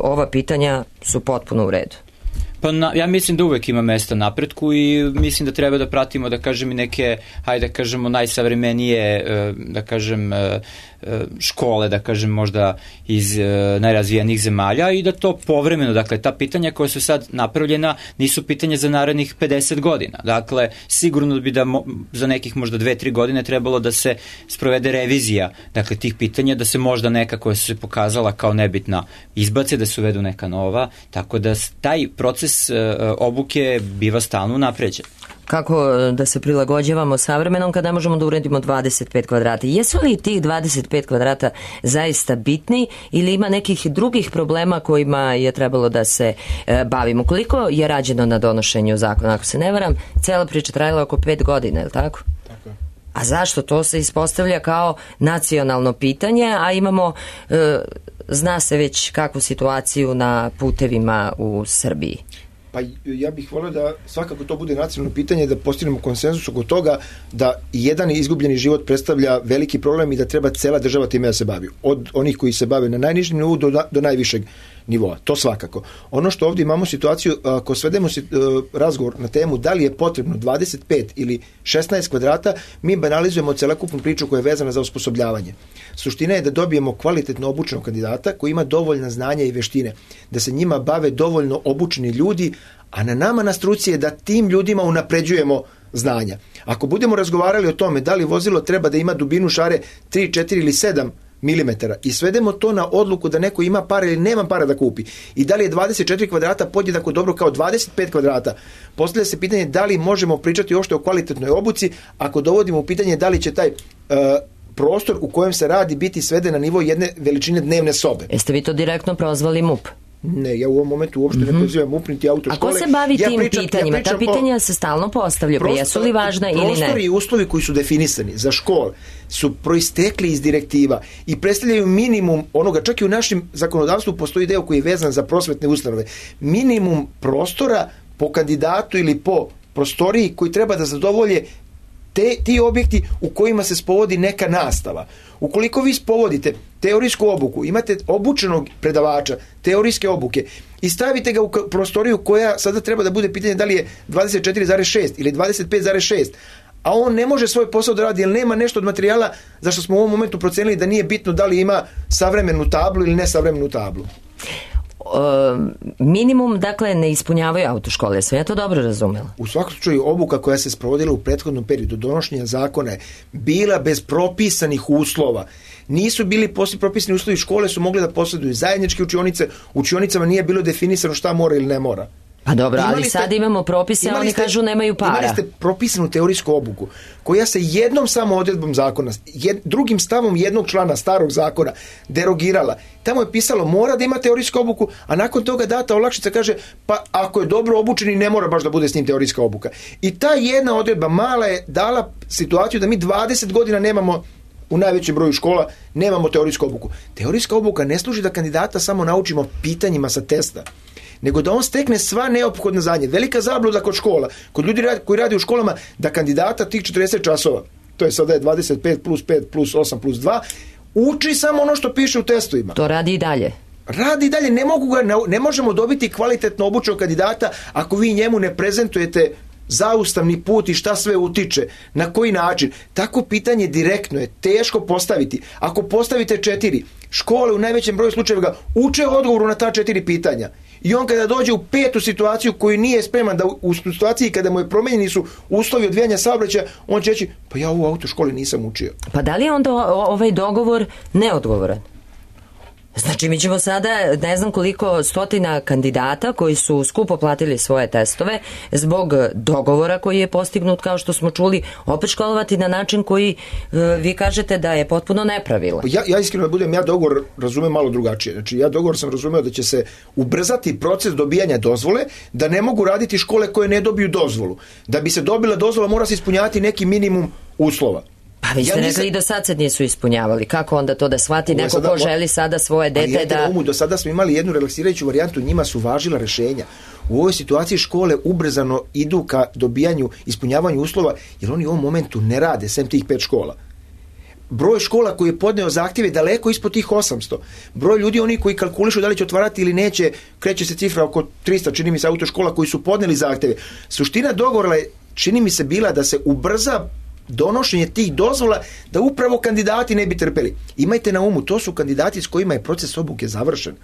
B: ova pitanja su potpuno u redu?
G: Pa na, ja mislim da uvek ima mesta napretku i mislim da treba da pratimo, da kažem, i neke, hajde da kažemo, najsavremenije, da kažem, škole, da kažem, možda iz najrazvijenijih zemalja i da to povremeno, dakle, ta pitanja koja su sad napravljena nisu pitanja za narednih pedeset godina. Dakle, sigurno bi da mo, za nekih možda dve, tri godine trebalo da se sprovede revizija, dakle, tih pitanja, da se možda neka koja su se pokazala kao nebitna izbace, da se uvedu neka nova, tako da taj proces obuke biva stalno napređen.
B: Kako da se prilagođavamo savremenom kada možemo da uredimo dvadeset pet kvadrata? Jesu li tih dvadeset pet kvadrata zaista bitni ili ima nekih drugih problema kojima je trebalo da se e, bavimo? Koliko je rađeno na donošenju zakona? Ako se ne varam, cela priča trajala oko pet godina, je li tako?
F: Tako je.
B: A zašto? To se ispostavlja kao nacionalno pitanje, a imamo, e, zna se već kakvu situaciju na putevima u Srbiji.
F: Pa ja bih volio da svakako to bude nacionalno pitanje, da postignemo konsenzus oko toga da jedan izgubljeni život predstavlja veliki problem i da treba cela država time da se bavi. Od onih koji se bave na najnižem nivou do, do najvišeg nivoa. To svakako. Ono što ovdje imamo situaciju, ako svedemo razgovor na temu da li je potrebno dvadeset pet ili šesnaest kvadrata, mi banalizujemo celokupnu priču koja je vezana za osposobljavanje. Suština je da dobijemo kvalitetno obučenog kandidata koji ima dovoljna znanja i veštine, da se njima bave dovoljno obučeni ljudi, a na nama na struci je da tim ljudima unapređujemo znanja. Ako budemo razgovarali o tome da li vozilo treba da ima dubinu šare tri, četiri ili sedam milimetara i svedemo to na odluku da neko ima para ili nema para da kupi i da li je dvadeset četiri kvadrata podjednako dobro kao dvadeset pet kvadrata, postavlja se pitanje da li možemo pričati uopšte o kvalitetnoj obuci ako dovodimo u pitanje da li će taj uh, prostor u kojem se radi biti sveden na nivo jedne veličine dnevne sobe.
B: Jeste vi to direktno prozvali M U P?
F: Ne, ja u ovom momentu uopšte mm-hmm. ne pozivam M U P niti autoškole.
B: A ko se bavi
F: ja
B: tim
F: pričam,
B: pitanjima?
F: Ja
B: Ta pitanja se stalno postavljaju, pa jesu li važna ili ne?
F: Prostori i uslovi koji su definisani za škole su proistekli iz direktiva i predstavljaju minimum onoga, čak i u našem zakonodavstvu postoji deo koji je vezan za prosvetne ustanove. Minimum prostora po kandidatu ili po prostoriji koji treba da zadovolje Te, ti objekti u kojima se spovodi neka nastava. Ukoliko vi spovodite teorijsku obuku, imate obučenog predavača teorijske obuke i stavite ga u prostoriju koja sada treba da bude pitanje da li je dvadeset četiri zarez šest ili dvadeset pet zarez šest, a on ne može svoj posao da radi jer nema nešto od materijala zašto smo u ovom momentu procenili da nije bitno da li ima savremenu tablu ili nesavremenu tablu.
B: Uh, minimum, dakle, ne ispunjavaju autoškole. Sve ja to dobro razumela.
F: U svakom slučaju obuka koja se sprovodila u prethodnom periodu donošenja zakona je bila bez propisanih uslova. Nisu bili posle propisani uslovi, škole su mogle da posjeduju zajedničke učionice, učionicama nije bilo definisano šta mora ili ne mora.
B: Pa dobro, imali ali ste, sad imamo propise, a oni ste, kažu nemaju para.
F: Imali ste propisanu teorijsku obuku, koja se jednom samo odredbom zakona, jed, drugim stavom jednog člana starog zakona derogirala. Tamo je pisalo mora da ima teorijsku obuku, a nakon toga data olakšica kaže pa ako je dobro obučeni ne mora baš da bude s njim teorijska obuka. I ta jedna odredba mala je dala situaciju da mi dvadeset godina nemamo u najvećem broju škola nemamo teorijsku obuku. Teorijska obuka ne služi da kandidata samo naučimo pitanjima sa testa, nego da on stekne sva neophodna znanja. Velika zabluda kod škola, kod ljudi koji radi u školama, da kandidata tih četrdeset časova, to je sada je dvadeset pet plus pet plus osam plus dva, uči samo ono što piše u testovima.
B: To radi i dalje.
F: Radi i dalje, ne, mogu ga, ne možemo dobiti kvalitetno obučenog kandidata ako vi njemu ne prezentujete zaustavni put i šta sve utiče, na koji način. Tako pitanje direktno je teško postaviti. Ako postavite četiri, škole u najvećem broju slučajeva uče odgovoru na ta četiri pitanja. I on kada dođe u petu situaciju koju nije spreman da u situaciji kada mu je promenjeni su uslovi odvijanja saobraćaja, on će reći, pa ja u autoškoli nisam učio.
B: Pa da li je onda ovaj dogovor neodgovoran? Znači mi ćemo sada, ne znam koliko stotina kandidata koji su skupo platili svoje testove zbog dogovora koji je postignut, kao što smo čuli, opet školovati na način koji uh, vi kažete da je potpuno nepravilan.
F: Ja, ja iskreno da budem, ja dogovor razumem malo drugačije. Znači ja dogovor sam razumeo da će se ubrzati proces dobijanja dozvole, da ne mogu raditi škole koje ne dobiju dozvolu. Da bi se dobila dozvola mora se ispunjavati neki minimum uslova.
B: Pa vi ste ja rekli i do sad se nisu ispunjavali. Kako onda to da shvati neko sada, ko želi sada svoje dete da...
F: Umu, do sada smo imali jednu relaksirajuću varijantu, njima su važila rešenja. U ovoj situaciji škole ubrzano idu ka dobijanju, ispunjavanju uslova, jer oni u ovom momentu ne rade, sem tih pet škola. Broj škola koji je podneo zahtjeve daleko ispod tih osamsto. Broj ljudi, oni koji kalkulišu da li će otvarati ili neće, kreće se cifra oko trista, čini mi se, autoškola koji su podneli zahtjeve. Suština dogovora je, čini mi se, bila da se ubrza donošenje tih dozvola, da upravo kandidati ne bi trpeli. Imajte na umu, to su kandidati s kojima je proces obuke završen.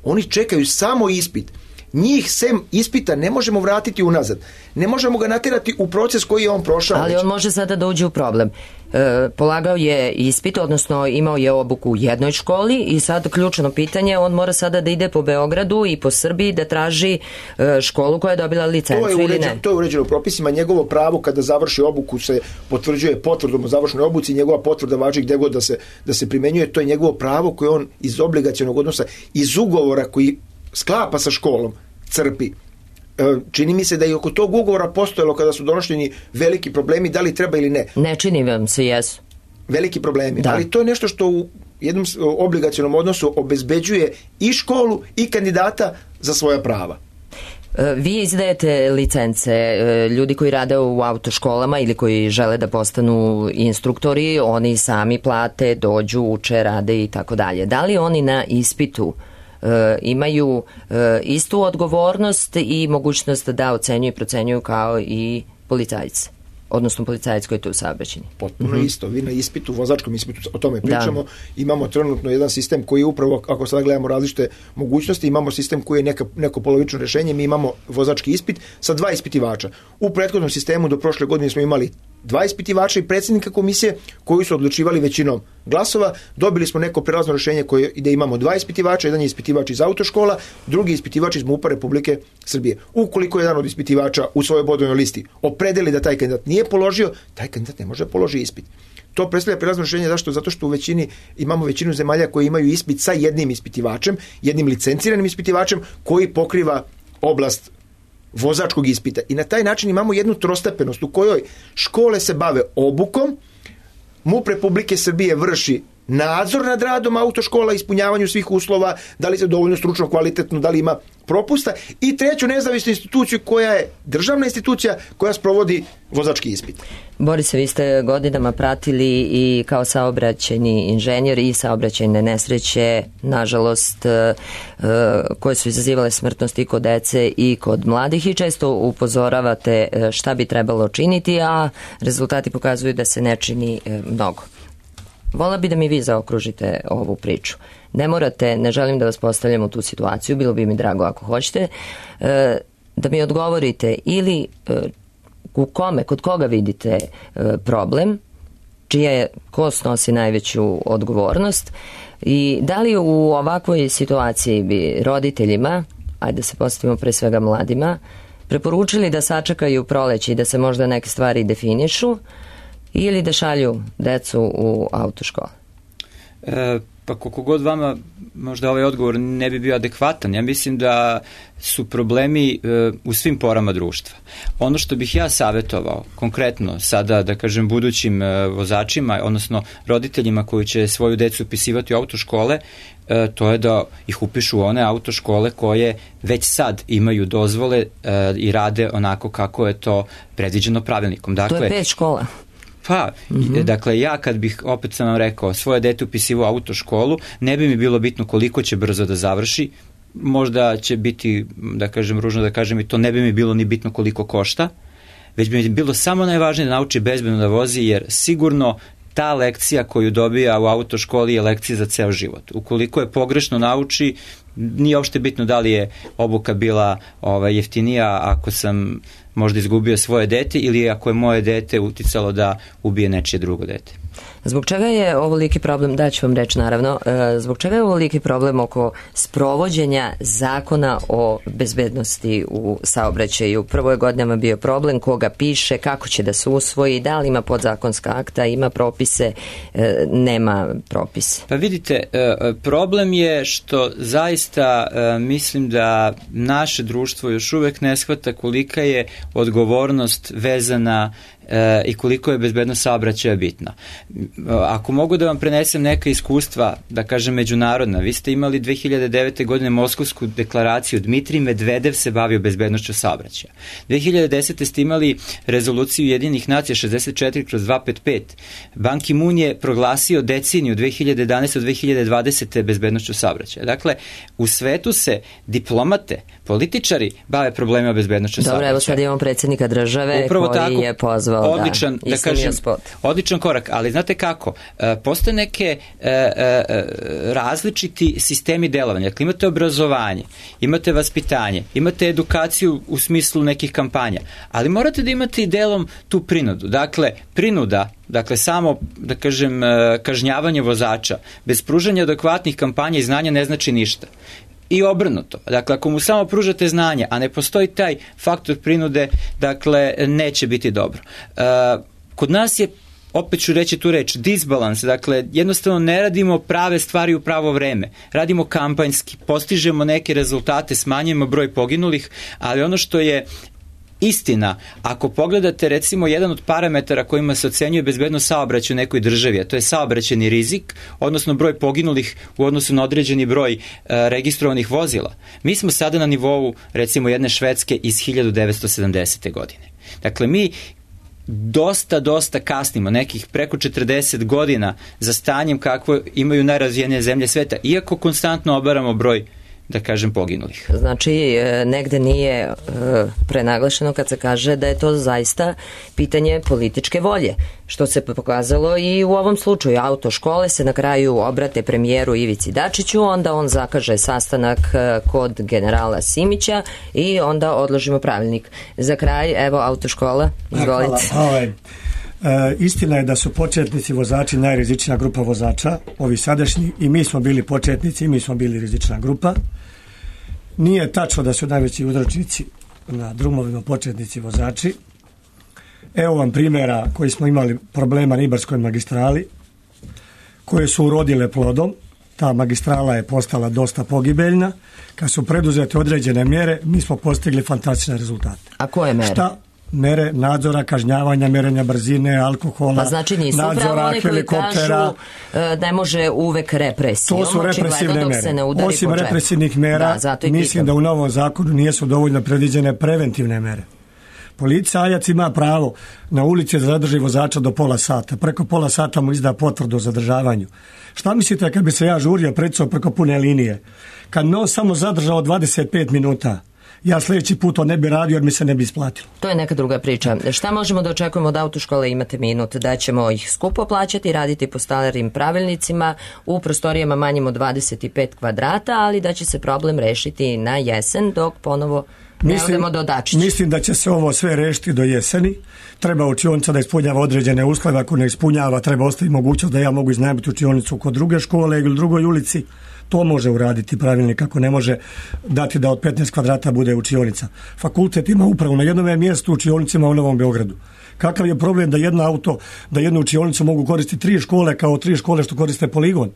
F: Oni čekaju samo ispit. Njih sem ispita ne možemo vratiti unazad. Ne možemo ga natjerati u proces koji je on prošao.
B: Ali on može sada da uđe u problem. E, polagao je ispit, odnosno imao je obuku u jednoj školi i sad ključno pitanje, on mora sada da ide po Beogradu i po Srbiji da traži e, školu koja je dobila licencu
F: to je
B: ili ne.
F: To je uređeno propisima. Njegovo pravo kada završi obuku se potvrđuje potvrdom o završnoj obuci, njegova potvrda važi gde god da se, da se primenjuje. To je njegovo pravo koje on iz obligacionog odnosa, iz ugovora koji sklapa sa školom, crpi. Čini mi se da i oko tog ugovora postojalo kada su donošljeni veliki problemi, da li treba ili ne.
B: Ne čini vam se, jesu.
F: Veliki problemi,
B: da.
F: Ali to je nešto što u jednom obligacionom odnosu obezbeđuje i školu i kandidata za svoja prava.
B: Vi izdajete licence, ljudi koji rade u autoškolama ili koji žele da postanu instruktori, oni sami plate, dođu, uče, rade i tako dalje. Da li oni na ispitu e, imaju e, istu odgovornost i mogućnost da ocenjuju i procenjuju kao i policajci, odnosno policajac koji je tu u saobraćenju.
F: Potpuno
B: mm-hmm.
F: isto. Vi na ispitu, vozačkom ispitu, o tome pričamo, da. Imamo trenutno jedan sistem koji upravo, ako sada gledamo različite mogućnosti, imamo sistem koji je neka, neko polovično rešenje, mi imamo vozački ispit sa dva ispitivača. U prethodnom sistemu do prošle godine smo imali dva ispitivača i predsjednika komisije koji su odlučivali većinom glasova. Dobili smo neko prelazno rešenje koje ide, imamo dva ispitivača, jedan je ispitivač iz autoškola, drugi ispitivač iz MUP-a Republike Srbije. Ukoliko jedan od ispitivača u svojoj bodovnoj listi opredeli da taj kandidat nije položio, taj kandidat ne može položiti ispit. To predstavlja prelazno rešenje. Zašto? Zato što u većini imamo većinu zemalja koji imaju ispit sa jednim ispitivačem, jednim licenciranim ispitivačem koji pokriva oblast vozačkog ispita. I na taj način imamo jednu trostepenost u kojoj škole se bave obukom, MUP Republike Srbije vrši nadzor nad radom autoškola, ispunjavanju svih uslova, da li se dovoljno stručno, kvalitetno, da li ima propusta, i treću nezavisnu instituciju koja je državna institucija koja sprovodi vozački ispit.
B: Borise, vi ste godinama pratili i kao saobraćajni inženjer i saobraćajne nesreće, nažalost, koje su izazivale smrtnost i kod dece i kod mladih, i često upozoravate šta bi trebalo činiti, a rezultati pokazuju da se ne čini mnogo. Vola bi da mi vi zaokružite ovu priču. Ne morate, ne želim da vas postavljam u tu situaciju, bilo bi mi drago ako hoćete, da mi odgovorite ili u kome, kod koga vidite problem, čija je, ko snosi najveću odgovornost, i da li u ovakvoj situaciji bi roditeljima, ajde da se postavimo pre svega mladima, preporučili da sačekaju proleće i da se možda neke stvari definišu, ili da šalju decu u autoškole?
G: E, pa koliko god vama možda ovaj odgovor ne bi bio adekvatan, ja mislim da su problemi e, u svim porama društva. Ono što bih ja savjetovao konkretno sada, da kažem, budućim e, vozačima, odnosno roditeljima koji će svoju decu upisivati u autoškole, e, to je da ih upišu u one autoškole koje već sad imaju dozvole e, i rade onako kako je to predviđeno pravilnikom. Dakle,
B: to je pet škola.
G: Pa, mm-hmm. dakle, ja kad bih, opet sam vam rekao, svoje dete upisivao u autoškolu, ne bi mi bilo bitno koliko će brzo da završi, možda će biti, da kažem, ružno da kažem, i to ne bi mi bilo ni bitno koliko košta, već bi mi bilo samo najvažnije da nauči bezbedno da vozi, jer sigurno ta lekcija koju dobija u autoškoli je lekcija za ceo život. Ukoliko je pogrešno nauči, nije uopšte bitno da li je obuka bila ovaj, jeftinija ako sam možda izgubio svoje dete ili ako je moje dete uticalo da ubije nečije drugo dete.
B: Zbog čega je ovoliki problem, daću vam reč naravno, zbog čega je ovoliki problem oko sprovođenja zakona o bezbednosti u saobraćaju? Prvo je godinama bio problem koga piše, kako će da se usvoji, da li ima podzakonska akta, ima propise, nema propise.
G: Pa vidite, problem je što zaista mislim da naše društvo još uvek ne shvata kolika je odgovornost vezana i koliko je bezbednost saobraćaja bitna. Ako mogu da vam prenesem neka iskustva, da kažem međunarodna, vi ste imali dve hiljade devete. godine Moskovsku deklaraciju, Dmitrij Medvedev se bavio bezbednošću saobraćaja. dve hiljade desete. ste imali rezoluciju Jedinih nacija šezdeset četiri kroz dvesta pedeset pet. Ban Ki-moon je proglasio deceniju dve hiljade jedanaeste. do dve hiljade dvadesete. bezbednošću saobraćaja. Dakle, u svetu se diplomate, političari bave problemima bezbednošću saobraćaja.
B: Dobro, evo sad imamo predsjednika države upravo koji tako, je pozvao
G: odličan, da, da kažem, odličan korak, ali znate kako, postoje neke e, e, različiti sistemi delovanja. Dakle, imate obrazovanje, imate vaspitanje, imate edukaciju u smislu nekih kampanja, ali morate da imate i delom tu prinudu. Dakle, prinuda, dakle samo, da kažem, kažnjavanje vozača bez pružanja adekvatnih kampanja i znanja ne znači ništa. I obrnuto. Dakle, ako mu samo pružate znanje, a ne postoji taj faktor prinude, dakle, neće biti dobro. E, kod nas je, opet ću reći tu reč, disbalans, dakle, jednostavno ne radimo prave stvari u pravo vreme. Radimo kampanjski, postižemo neke rezultate, smanjujemo broj poginulih, ali ono što je istina, ako pogledate recimo jedan od parametara kojima se ocenjuje bezbednost saobraćaja u nekoj državi, a to je saobraćajni rizik, odnosno broj poginulih u odnosu na određeni broj e, registrovanih vozila. Mi smo sada na nivou recimo jedne Švedske iz hiljadu devetsto sedamdesete. godine. Dakle, mi dosta, dosta kasnimo, nekih preko četrdeset godina za stanjem kakvo imaju najrazvijenije zemlje sveta, iako konstantno obaramo broj da kažem, poginulih.
B: Znači, negde nije prenaglašeno kad se kaže da je to zaista pitanje političke volje, što se pokazalo i u ovom slučaju. Autoškole se na kraju obrate premijeru Ivici Dačiću, onda on zakaže sastanak kod generala Simića i onda odložimo pravilnik. Za kraj, evo, autoškola, izvolite.
E: Hvala. Ovaj, e, istina je da su početnici vozači najrizičnija grupa vozača, ovi sadašnji, i mi smo bili početnici i mi smo bili rizična grupa. Nije tačno da su najveći uzročnici na drumovima početnici vozači. Evo vam primjera koji smo imali problema na Ibarskoj magistrali, koje su urodile plodom. Ta magistrala je postala dosta pogibeljna. Kad su preduzete određene mjere, mi smo postigli fantastične rezultate.
B: A koje mere?
E: Šta? Mere nadzora, kažnjavanja, merenja brzine, alkohola,
B: pa znači nisu
E: nadzora,
B: oni koji kažu ne može uvek represijom.
E: To su represivne mere. Osim represivnih mera, da, mislim pitam. Da u novom zakonu nisu dovoljno predviđene preventivne mere. Policajac ima pravo na ulici da zadrži vozača do pola sata. Preko pola sata mu izda potvrdu o zadržavanju. Šta mislite kad bi se ja žurio predsao preko pune linije? Kad me on samo zadržao dvadeset pet minuta, ja sljedeći put to ne bi radio jer mi se ne bi isplatilo.
B: To je neka druga priča. Šta možemo da očekujemo od autoškole? Imate minut da ćemo ih skupo plaćati, raditi po starim pravilnicima u prostorijama manjim od dvadeset pet kvadrata, ali da će se problem rešiti na jesen dok ponovo ne odemo do Dačića.
E: Mislim da će se ovo sve rešiti do jeseni. Treba učionica da ispunjava određene uslove. Ako ne ispunjava, treba ostaviti mogućnost da ja mogu iznajmiti učionicu kod druge škole ili drugoj ulici. To može uraditi pravilnik, ako ne može dati da od petnaest kvadrata bude učionica. Fakultet ima upravo na jednom mjestu učionicima u Novom Beogradu. Kakav je problem da jedno auto, da jednu učionicu mogu koristiti tri škole kao tri škole što koriste poligon?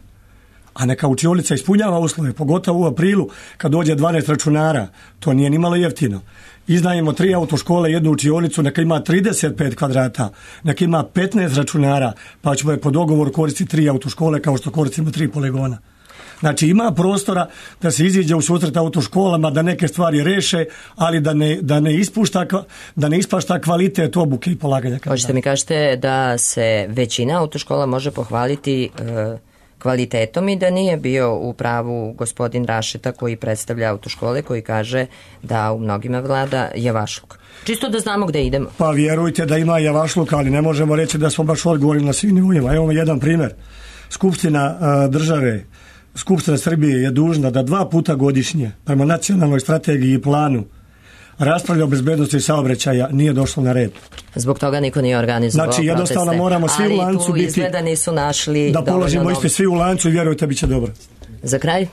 E: A neka učionica ispunjava uslove, pogotovo u aprilu kad dođe dvanaest računara, to nije ni malo jeftino. Iznajmimo tri autoškole, jednu učionicu, neka ima trideset pet kvadrata, neka ima petnaest računara, pa ćemo je po dogovoru koristiti tri autoškole kao što koristimo tri poligona. Znači ima prostora da se iziđe u susret autoškolama, da neke stvari reše, ali da ne, da ne ispušta, da ne ispašta kvalitet obuke i polaganja.
B: Hoćete mi kažete da se većina autoškola može pohvaliti e, kvalitetom i da nije bio u pravu gospodin Rašeta koji predstavlja autoškole, koji kaže da u mnogima vlada javašluk. Čisto da znamo gde idemo.
E: Pa vjerujte da ima javašluk, ali ne možemo reći da smo baš odgovorili na svim nivoima. Evo jedan primjer. Skupština a, države, Skupština Srbije je dužna da dva puta godišnje prema nacionalnoj strategiji i planu raspravlja o bezbednosti saobraćaja, nije došlo na red.
B: Zbog toga niko nije organizovao
E: proteste. Znači jednostavno moramo svi u lancu biti,
B: izgleda nisu našli
E: da položimo isti svi u lancu i vjerujte bit će dobro.
B: Za kraj?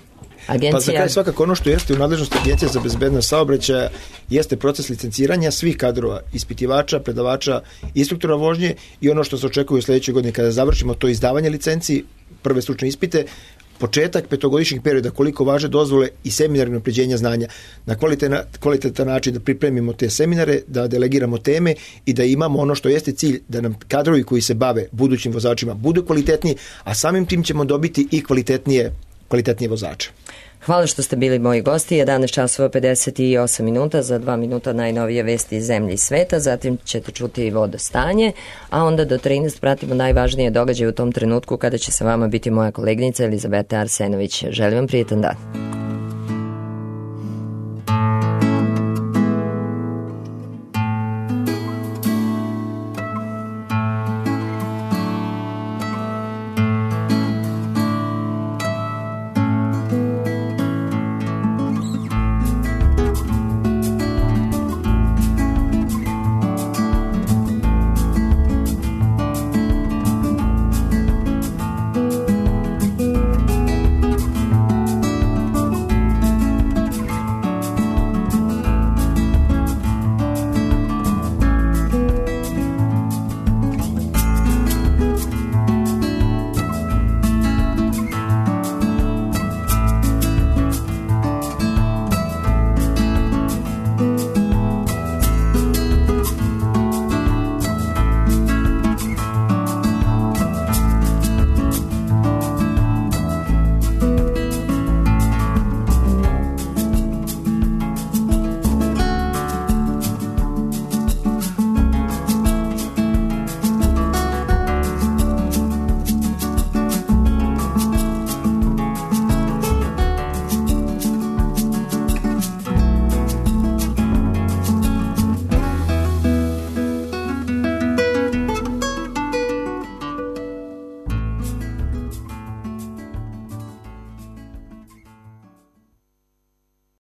B: Agencija...
F: Pa za kraj svakako ono što jeste u nadležnosti Agencije za bezbednost saobraćaja jeste proces licenciranja svih kadrova, ispitivača, predavača, instruktora vožnje i ono što se očekuje u sljedećoj godini kada završimo to izdavanje licenci, prve stručne ispite, početak petogodišnjeg perioda, koliko važe dozvole i seminarno unapređenja znanja, na kvalitetan, kvalitetan način da pripremimo te seminare, da delegiramo teme i da imamo ono što jeste cilj, da nam kadrovi koji se bave budućim vozačima budu kvalitetniji, a samim tim ćemo dobiti i kvalitetnije, kvalitetnije vozače.
B: Hvala što ste bili moji gosti. jedanaest časova pedeset osam minuta, za dva minuta najnovije vesti iz zemlje i sveta, zatim ćete čuti i vodostanje, a onda do trinaest pratimo najvažnije događaje u tom trenutku kada će sa vama biti moja koleginica Elizabeta Arsenović. Želim vam prijetan dan.